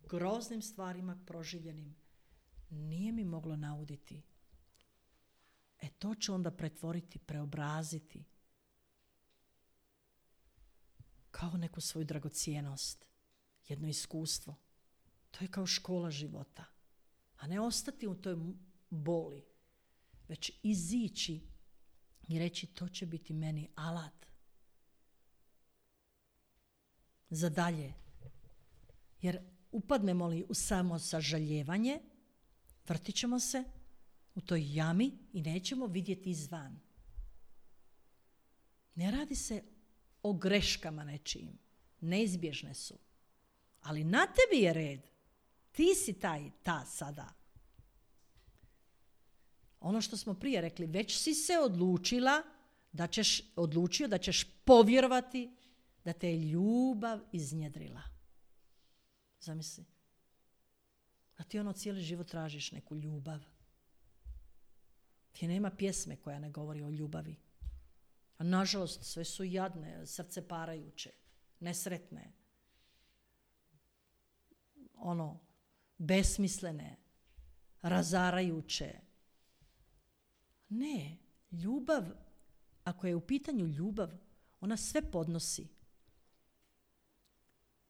groznim stvarima proživljenim, nije mi moglo nauditi. To ću onda pretvoriti, preobraziti kao neku svoju dragocjenost, jedno iskustvo. To je kao škola života. A ne ostati u toj boli, već izići i reći to će biti meni alat za dalje. Jer upadnemo li u samo sažaljevanje, vrtit ćemo se u toj jami i nećemo vidjeti izvan. Ne radi se o greškama nečijim. Neizbježne su. Ali na tebi je red. Ti si ta sada. Ono što smo prije rekli, već si se odlučio da ćeš povjerovati da te je ljubav iznjedrila. Zamisli. A ti cijeli život tražiš neku ljubav. Ti nema pjesme koja ne govori o ljubavi. A nažalost, sve su jadne, srce parajuće, nesretne, besmislene, razarajuće. Ne, ljubav, ako je u pitanju ljubav, ona sve podnosi.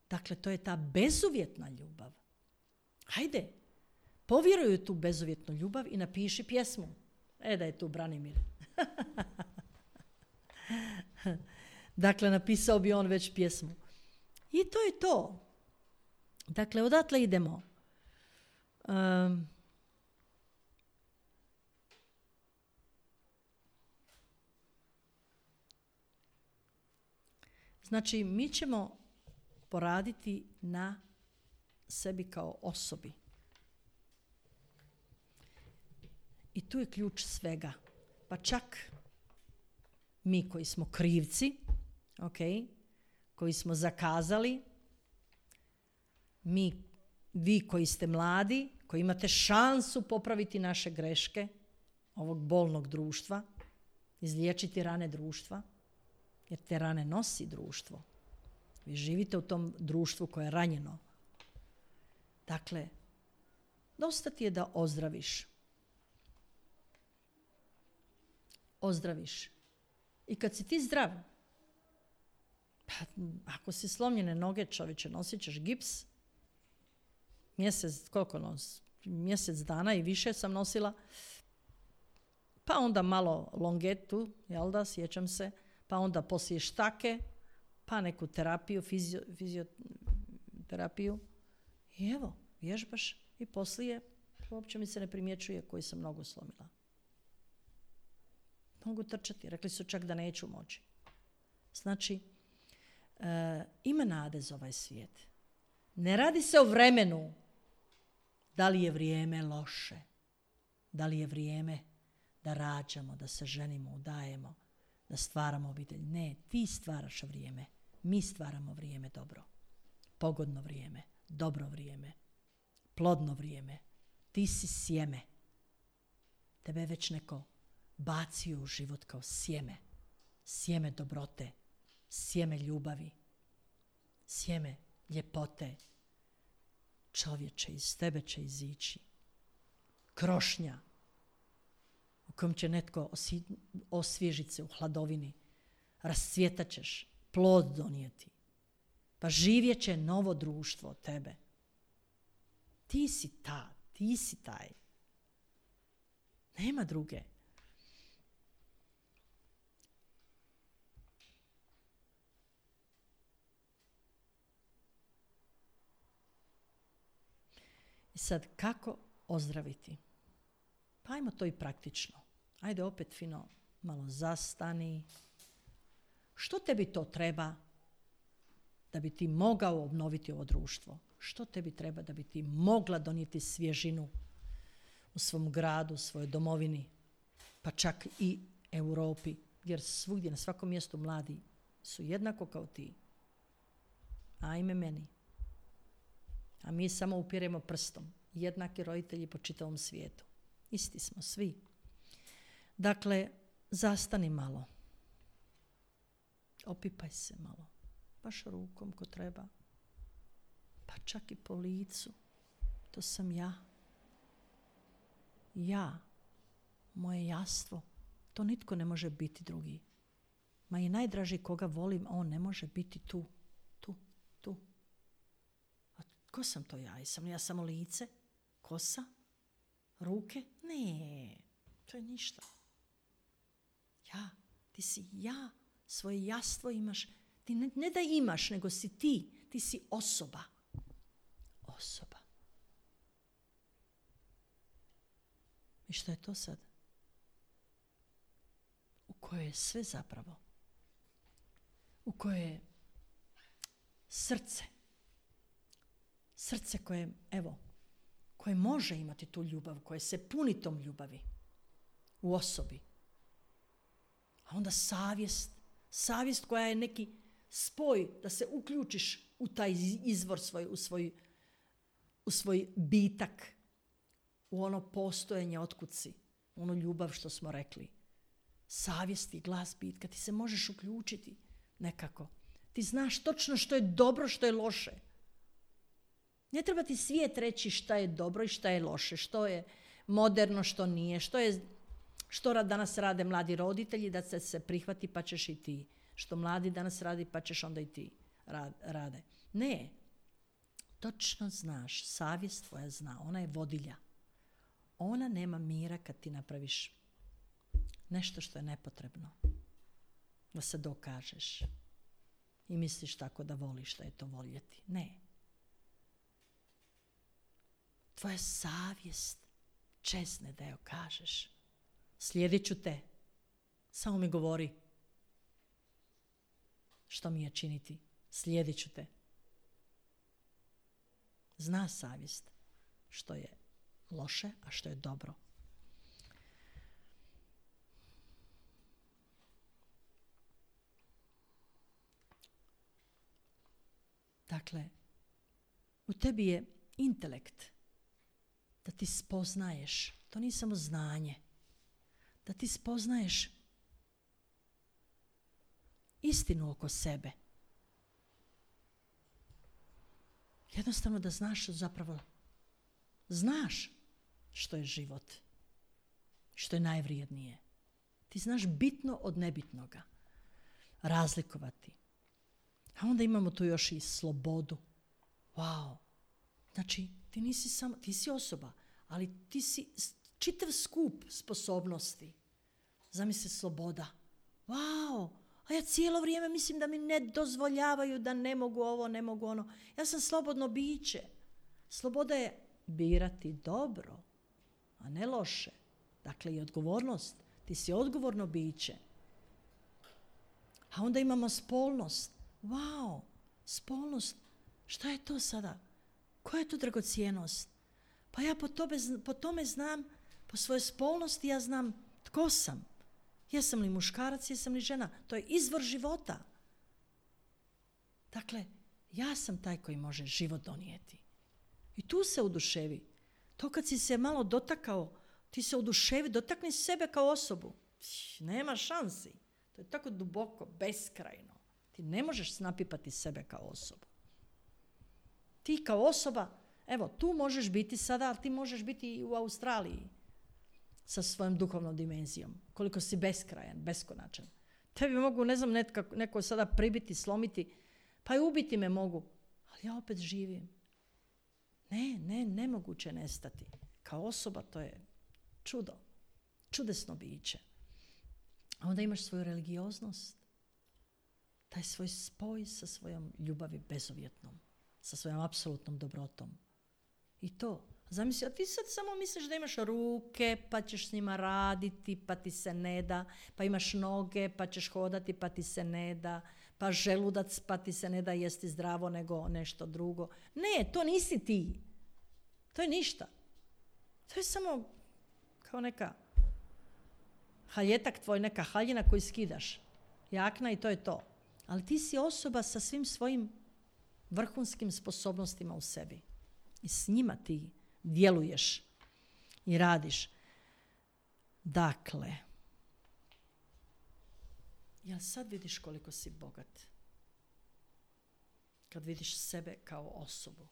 Dakle, to je ta bezuvjetna ljubav. Hajde, povjeruj u tu bezuvjetnu ljubav i napiši pjesmu. Da je tu Branimir. Dakle, napisao bi on već pjesmu. I to je to. Dakle, odatle idemo. Znači, mi ćemo poraditi na sebi kao osobi. I tu je ključ svega. Pa čak mi koji smo krivci, koji smo zakazali, vi koji ste mladi, koji imate šansu popraviti naše greške ovog bolnog društva, izliječiti rane društva, jer te rane nosi društvo. Vi živite u tom društvu koje je ranjeno. Dakle, dosta ti je da ozdraviš. Ozdraviš. I kad si ti zdrav, ako si slomljene noge, čovječe, nosit ćeš gips. Mjesec dana i više sam nosila. Pa onda malo longetu, jel da, sjećam se. Pa onda poslije štake, pa neku terapiju, fizioterapiju. I evo, vježbaš i poslije uopće mi se ne primjećuje koji sam nogu slomila. Mogu trčati. Rekli su čak da neću moći. Znači, ima nade za ovaj svijet. Ne radi se o vremenu. Da li je vrijeme loše? Da li je vrijeme da rađamo, da se ženimo, udajemo, da stvaramo obitelj? Ne, ti stvaraš vrijeme. Mi stvaramo vrijeme dobro. Pogodno vrijeme, dobro vrijeme, plodno vrijeme. Ti si sjeme. Tebe je već neko bacio u život kao sjeme. Sjeme dobrote, sjeme ljubavi, sjeme ljepote. Čovječe, iz tebe će izići krošnja u kojem će netko osvježiti se u hladovini. Rascvjetat ćeš, plod donijeti. Pa živjet će novo društvo od tebe. Ti si taj. Nema druge. I sad, kako ozdraviti? Pa ajmo to i praktično. Ajde opet fino, malo zastani. Što tebi to treba da bi ti mogao obnoviti ovo društvo? Što tebi treba da bi ti mogla donijeti svježinu u svom gradu, u svojoj domovini, pa čak i Europi, jer svugdje, na svakom mjestu mladi su jednako kao ti. Ajme meni. A mi samo upiremo prstom. Jednaki roditelji po čitavom svijetu. Isti smo svi. Dakle, zastani malo. Opipaj se malo. Baš rukom ko treba. Pa čak i po licu. To sam ja. Ja. Moje jastvo. To nitko ne može biti drugi. Ma i najdraži koga volim, on ne može biti tu. A ko sam to ja? Jesam li ja samo lice? Kosa? Ruke? Ne. To je ništa. Ja. Ti si ja. Svoje jastvo imaš. Ti ne da imaš, nego si ti. Ti si osoba. Osoba. I što je to sad? U kojoj je sve zapravo. U kojoj je srce. Srce koje, evo, koje može imati tu ljubav, koje se puni tom ljubavi u osobi. A onda savjest. Savjest koja je neki spoj da se uključiš u taj izvor svoj, u svoj bitak, u ono postojanje otkud si, u onu ljubav što smo rekli. Savjest i glas bitka, ti se možeš uključiti nekako. Ti znaš točno što je dobro, što je loše. Ne treba ti svijet reći šta je dobro i šta je loše, što je moderno, što nije, što danas rade mladi roditelji, da se prihvati pa ćeš i ti. Što mladi danas radi pa ćeš onda i ti rade. Ne. Točno znaš, savjest tvoja zna, ona je vodilja. Ona nema mira kad ti napraviš nešto što je nepotrebno. Da se dokažeš. I misliš tako da voliš da je to voljeti. Ne. Tvoja savjest čezne da joj kažeš. Slijedit ću te. Samo mi govori. Što mi je činiti? Slijedit ću te. Zna savjest što je loše, a što je dobro. Dakle, u tebi je intelekt da ti spoznaješ, to nije samo znanje, da ti spoznaješ istinu oko sebe. Jednostavno da znaš zapravo, znaš što je život, što je najvrijednije. Ti znaš bitno od nebitnoga, razlikovati. A onda imamo tu još i slobodu. Wow. Znači, ti nisi samo, ti si osoba, ali ti si čitav skup sposobnosti. Zamisli sloboda. Wow. A ja cijelo vrijeme mislim da mi ne dozvoljavaju da ne mogu ovo, ne mogu ono. Ja sam slobodno biće. Sloboda je birati dobro, a ne loše. Dakle, i odgovornost. Ti si odgovorno biće. A onda imamo spolnost. Wow, spolnost. Šta je to sada? Koja je to dragocijenost? Pa ja po tome znam, po svojoj spolnosti ja znam tko sam. Jesam li muškarac, jesam li žena. To je izvor života. Dakle, ja sam taj koji može život donijeti. I tu se oduševi. To kad si se malo dotakao, ti se oduševi, dotakni sebe kao osobu. Nema šansi. To je tako duboko, beskrajno. Ti ne možeš napipati sebe kao osobu. Ti kao osoba, evo, tu možeš biti sada, ali ti možeš biti i u Australiji sa svojom duhovnom dimenzijom. Koliko si beskrajan, beskonačan. Tebi mogu, ne znam, neko sada pribiti, slomiti, pa i ubiti me mogu. Ali ja opet živim. Nemoguće nestati. Kao osoba to je čudo. Čudesno biće. A onda imaš svoju religioznost. Taj svoj spoj sa svojom ljubavi bezuvjetnom. Sa svojom apsolutnom dobrotom. I to. Zamisli, a ti sad samo misliš da imaš ruke, pa ćeš s njima raditi, pa ti se ne da, pa imaš noge, pa ćeš hodati, pa ti se ne da, pa želudac, pa ti se ne da jesti zdravo nego nešto drugo. Ne, to nisi ti. To je ništa. To je samo kao neka haljetak tvoj, neka haljina koju skidaš. Jakna i to je to. Ali ti si osoba sa svim svojim vrhunskim sposobnostima u sebi. I s njima ti djeluješ i radiš. Dakle, jel sad vidiš koliko si bogat? Kad vidiš sebe kao osobu.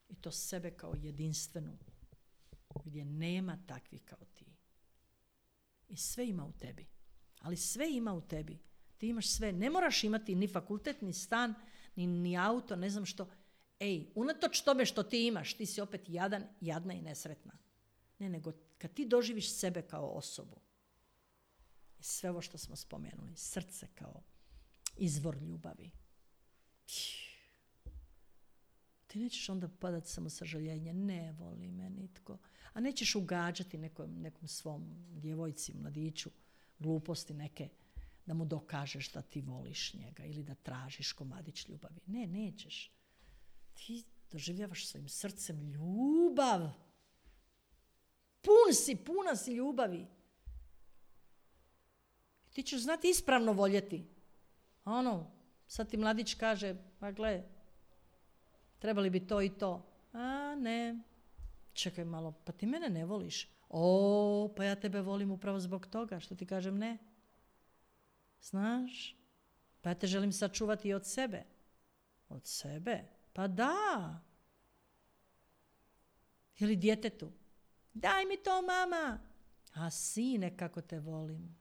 I to sebe kao jedinstvenu. Gdje nema takvih kao ti. I sve ima u tebi. Ali sve ima u tebi. Ti imaš sve. Ne moraš imati ni fakultet, ni stan, ni auto, ne znam što. Unatoč tome što ti imaš, ti si opet jadan, jadna i nesretna. Ne, nego kad ti doživiš sebe kao osobu. I sve ovo što smo spomenuli. Srce kao izvor ljubavi. Ti nećeš onda padati samo sažaljenje. Ne voli me nitko. A nećeš ugađati nekom svom djevojci, mladiću, gluposti neke, da mu dokažeš da ti voliš njega ili da tražiš komadić ljubavi. Ne, nećeš. Ti doživljavaš svojim srcem ljubav. Puna si ljubavi. Ti ćeš znati ispravno voljeti. Sad ti mladić kaže, pa gle, trebali bi to i to. A ne, čekaj malo, pa ti mene ne voliš. Pa ja tebe volim upravo zbog toga, što ti kažem ne. Znaš, pa ja te želim sačuvati i od sebe. Od sebe? Pa da. Ili djetetu. Daj mi to, mama. A sine, kako te volim.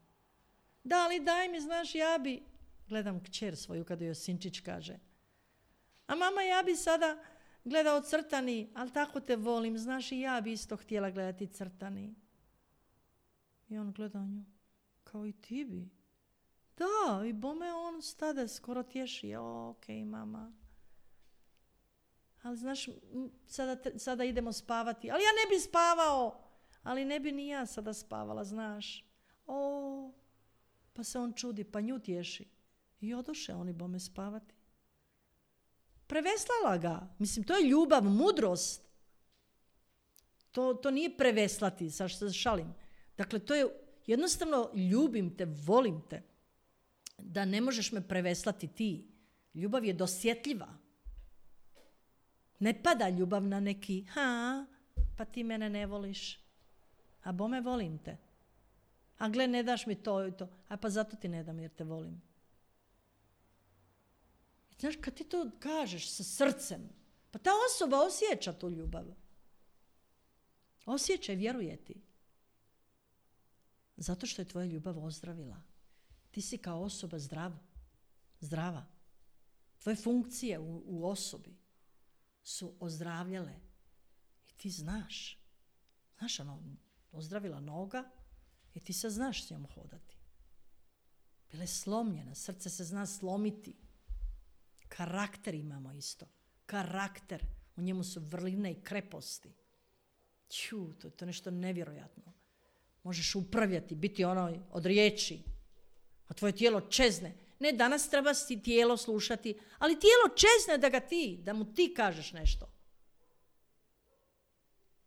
Da li daj mi, znaš, ja bi... Gledam kćer svoju kada joj sinčić kaže. A mama, ja bi sada gledao crtani, ali tako te volim, znaš, i ja bi isto htjela gledati crtani. I on gleda nju. Kao i ti bi. Da, i bome on stade, skoro tješi. Okej, mama. Ali znaš, sada idemo spavati. Ali ja ne bi spavao. Ali ne bi ni ja sada spavala, znaš. Pa se on čudi, pa nju tješi. I odoše oni bome spavati. Preveslala ga. Mislim, to je ljubav, mudrost. To nije preveslati, sad što šalim. Dakle, to je jednostavno ljubim te, volim te. Da ne možeš me preveslati ti. Ljubav je dosjetljiva. Ne pada ljubav na neki, pa ti mene ne voliš. A bome volim te. A gle, ne daš mi to i to. A pa zato ti ne dam jer te volim. Znaš, kad ti to kažeš sa srcem, pa ta osoba osjeća tu ljubav. Osjeća i vjeruje ti. Zato što je tvoja ljubav ozdravila. Ti si kao osoba zdrava. Tvoje funkcije u osobi su ozdravljale. I ti znaš. Znaš, ozdravila noga i ti sad znaš s njom hodati. Bila je slomljena, srce se zna slomiti. Karakter imamo isto. Karakter. U njemu su vrline i kreposti. To je nešto nevjerojatno. Možeš upravljati, biti od riječi. A tvoje tijelo čezne. Ne, danas treba si tijelo slušati, ali tijelo čezne da mu ti kažeš nešto.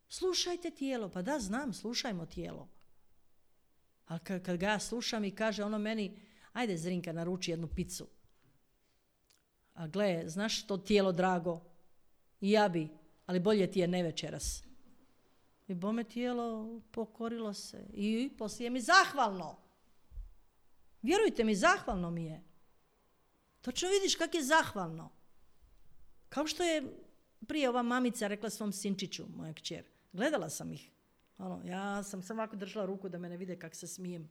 Slušajte tijelo. Pa da, znam, slušajmo tijelo. Ali kad ga ja slušam i kaže ono meni, ajde Zrinka, naruči jednu picu. A gle, znaš to tijelo drago? I ja bi, ali bolje ti je ne večeras. I bome tijelo pokorilo se. I poslije mi zahvalno. Vjerujte mi, zahvalno mi je. Točno vidiš kak je zahvalno. Kao što je prije ova mamica rekla svom sinčiću, moja kćer. Gledala sam ih. Ja sam samo ovako držala ruku da me ne vide kak se smijem.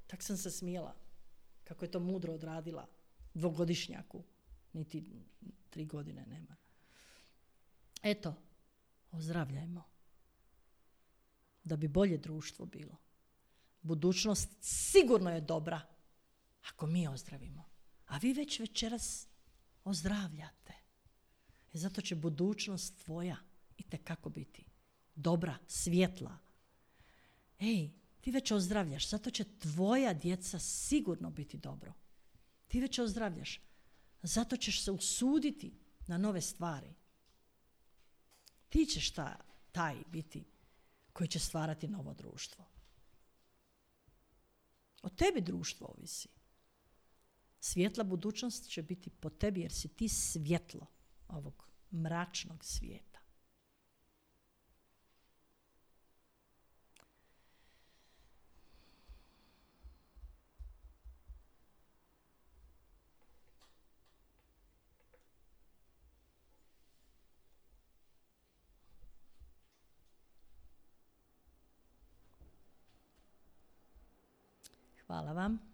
Tak sam se smijela. Kako je to mudro odradila. 2-godišnjaku. Niti 3 godine nema. Eto, ozdravljajmo. Da bi bolje društvo bilo. Budućnost sigurno je dobra ako mi ozdravimo. A vi već večeras ozdravljate. I zato će budućnost tvoja itekako biti dobra, svjetla. Ej, ti već ozdravljaš, zato će tvoja djeca sigurno biti dobro. Ti već ozdravljaš, zato ćeš se usuditi na nove stvari. Ti ćeš taj biti koji će stvarati novo društvo. O tebi društvo ovisi. Svjetla budućnost će biti po tebi jer si ti svjetlo ovog mračnog svijeta. Hvala vam.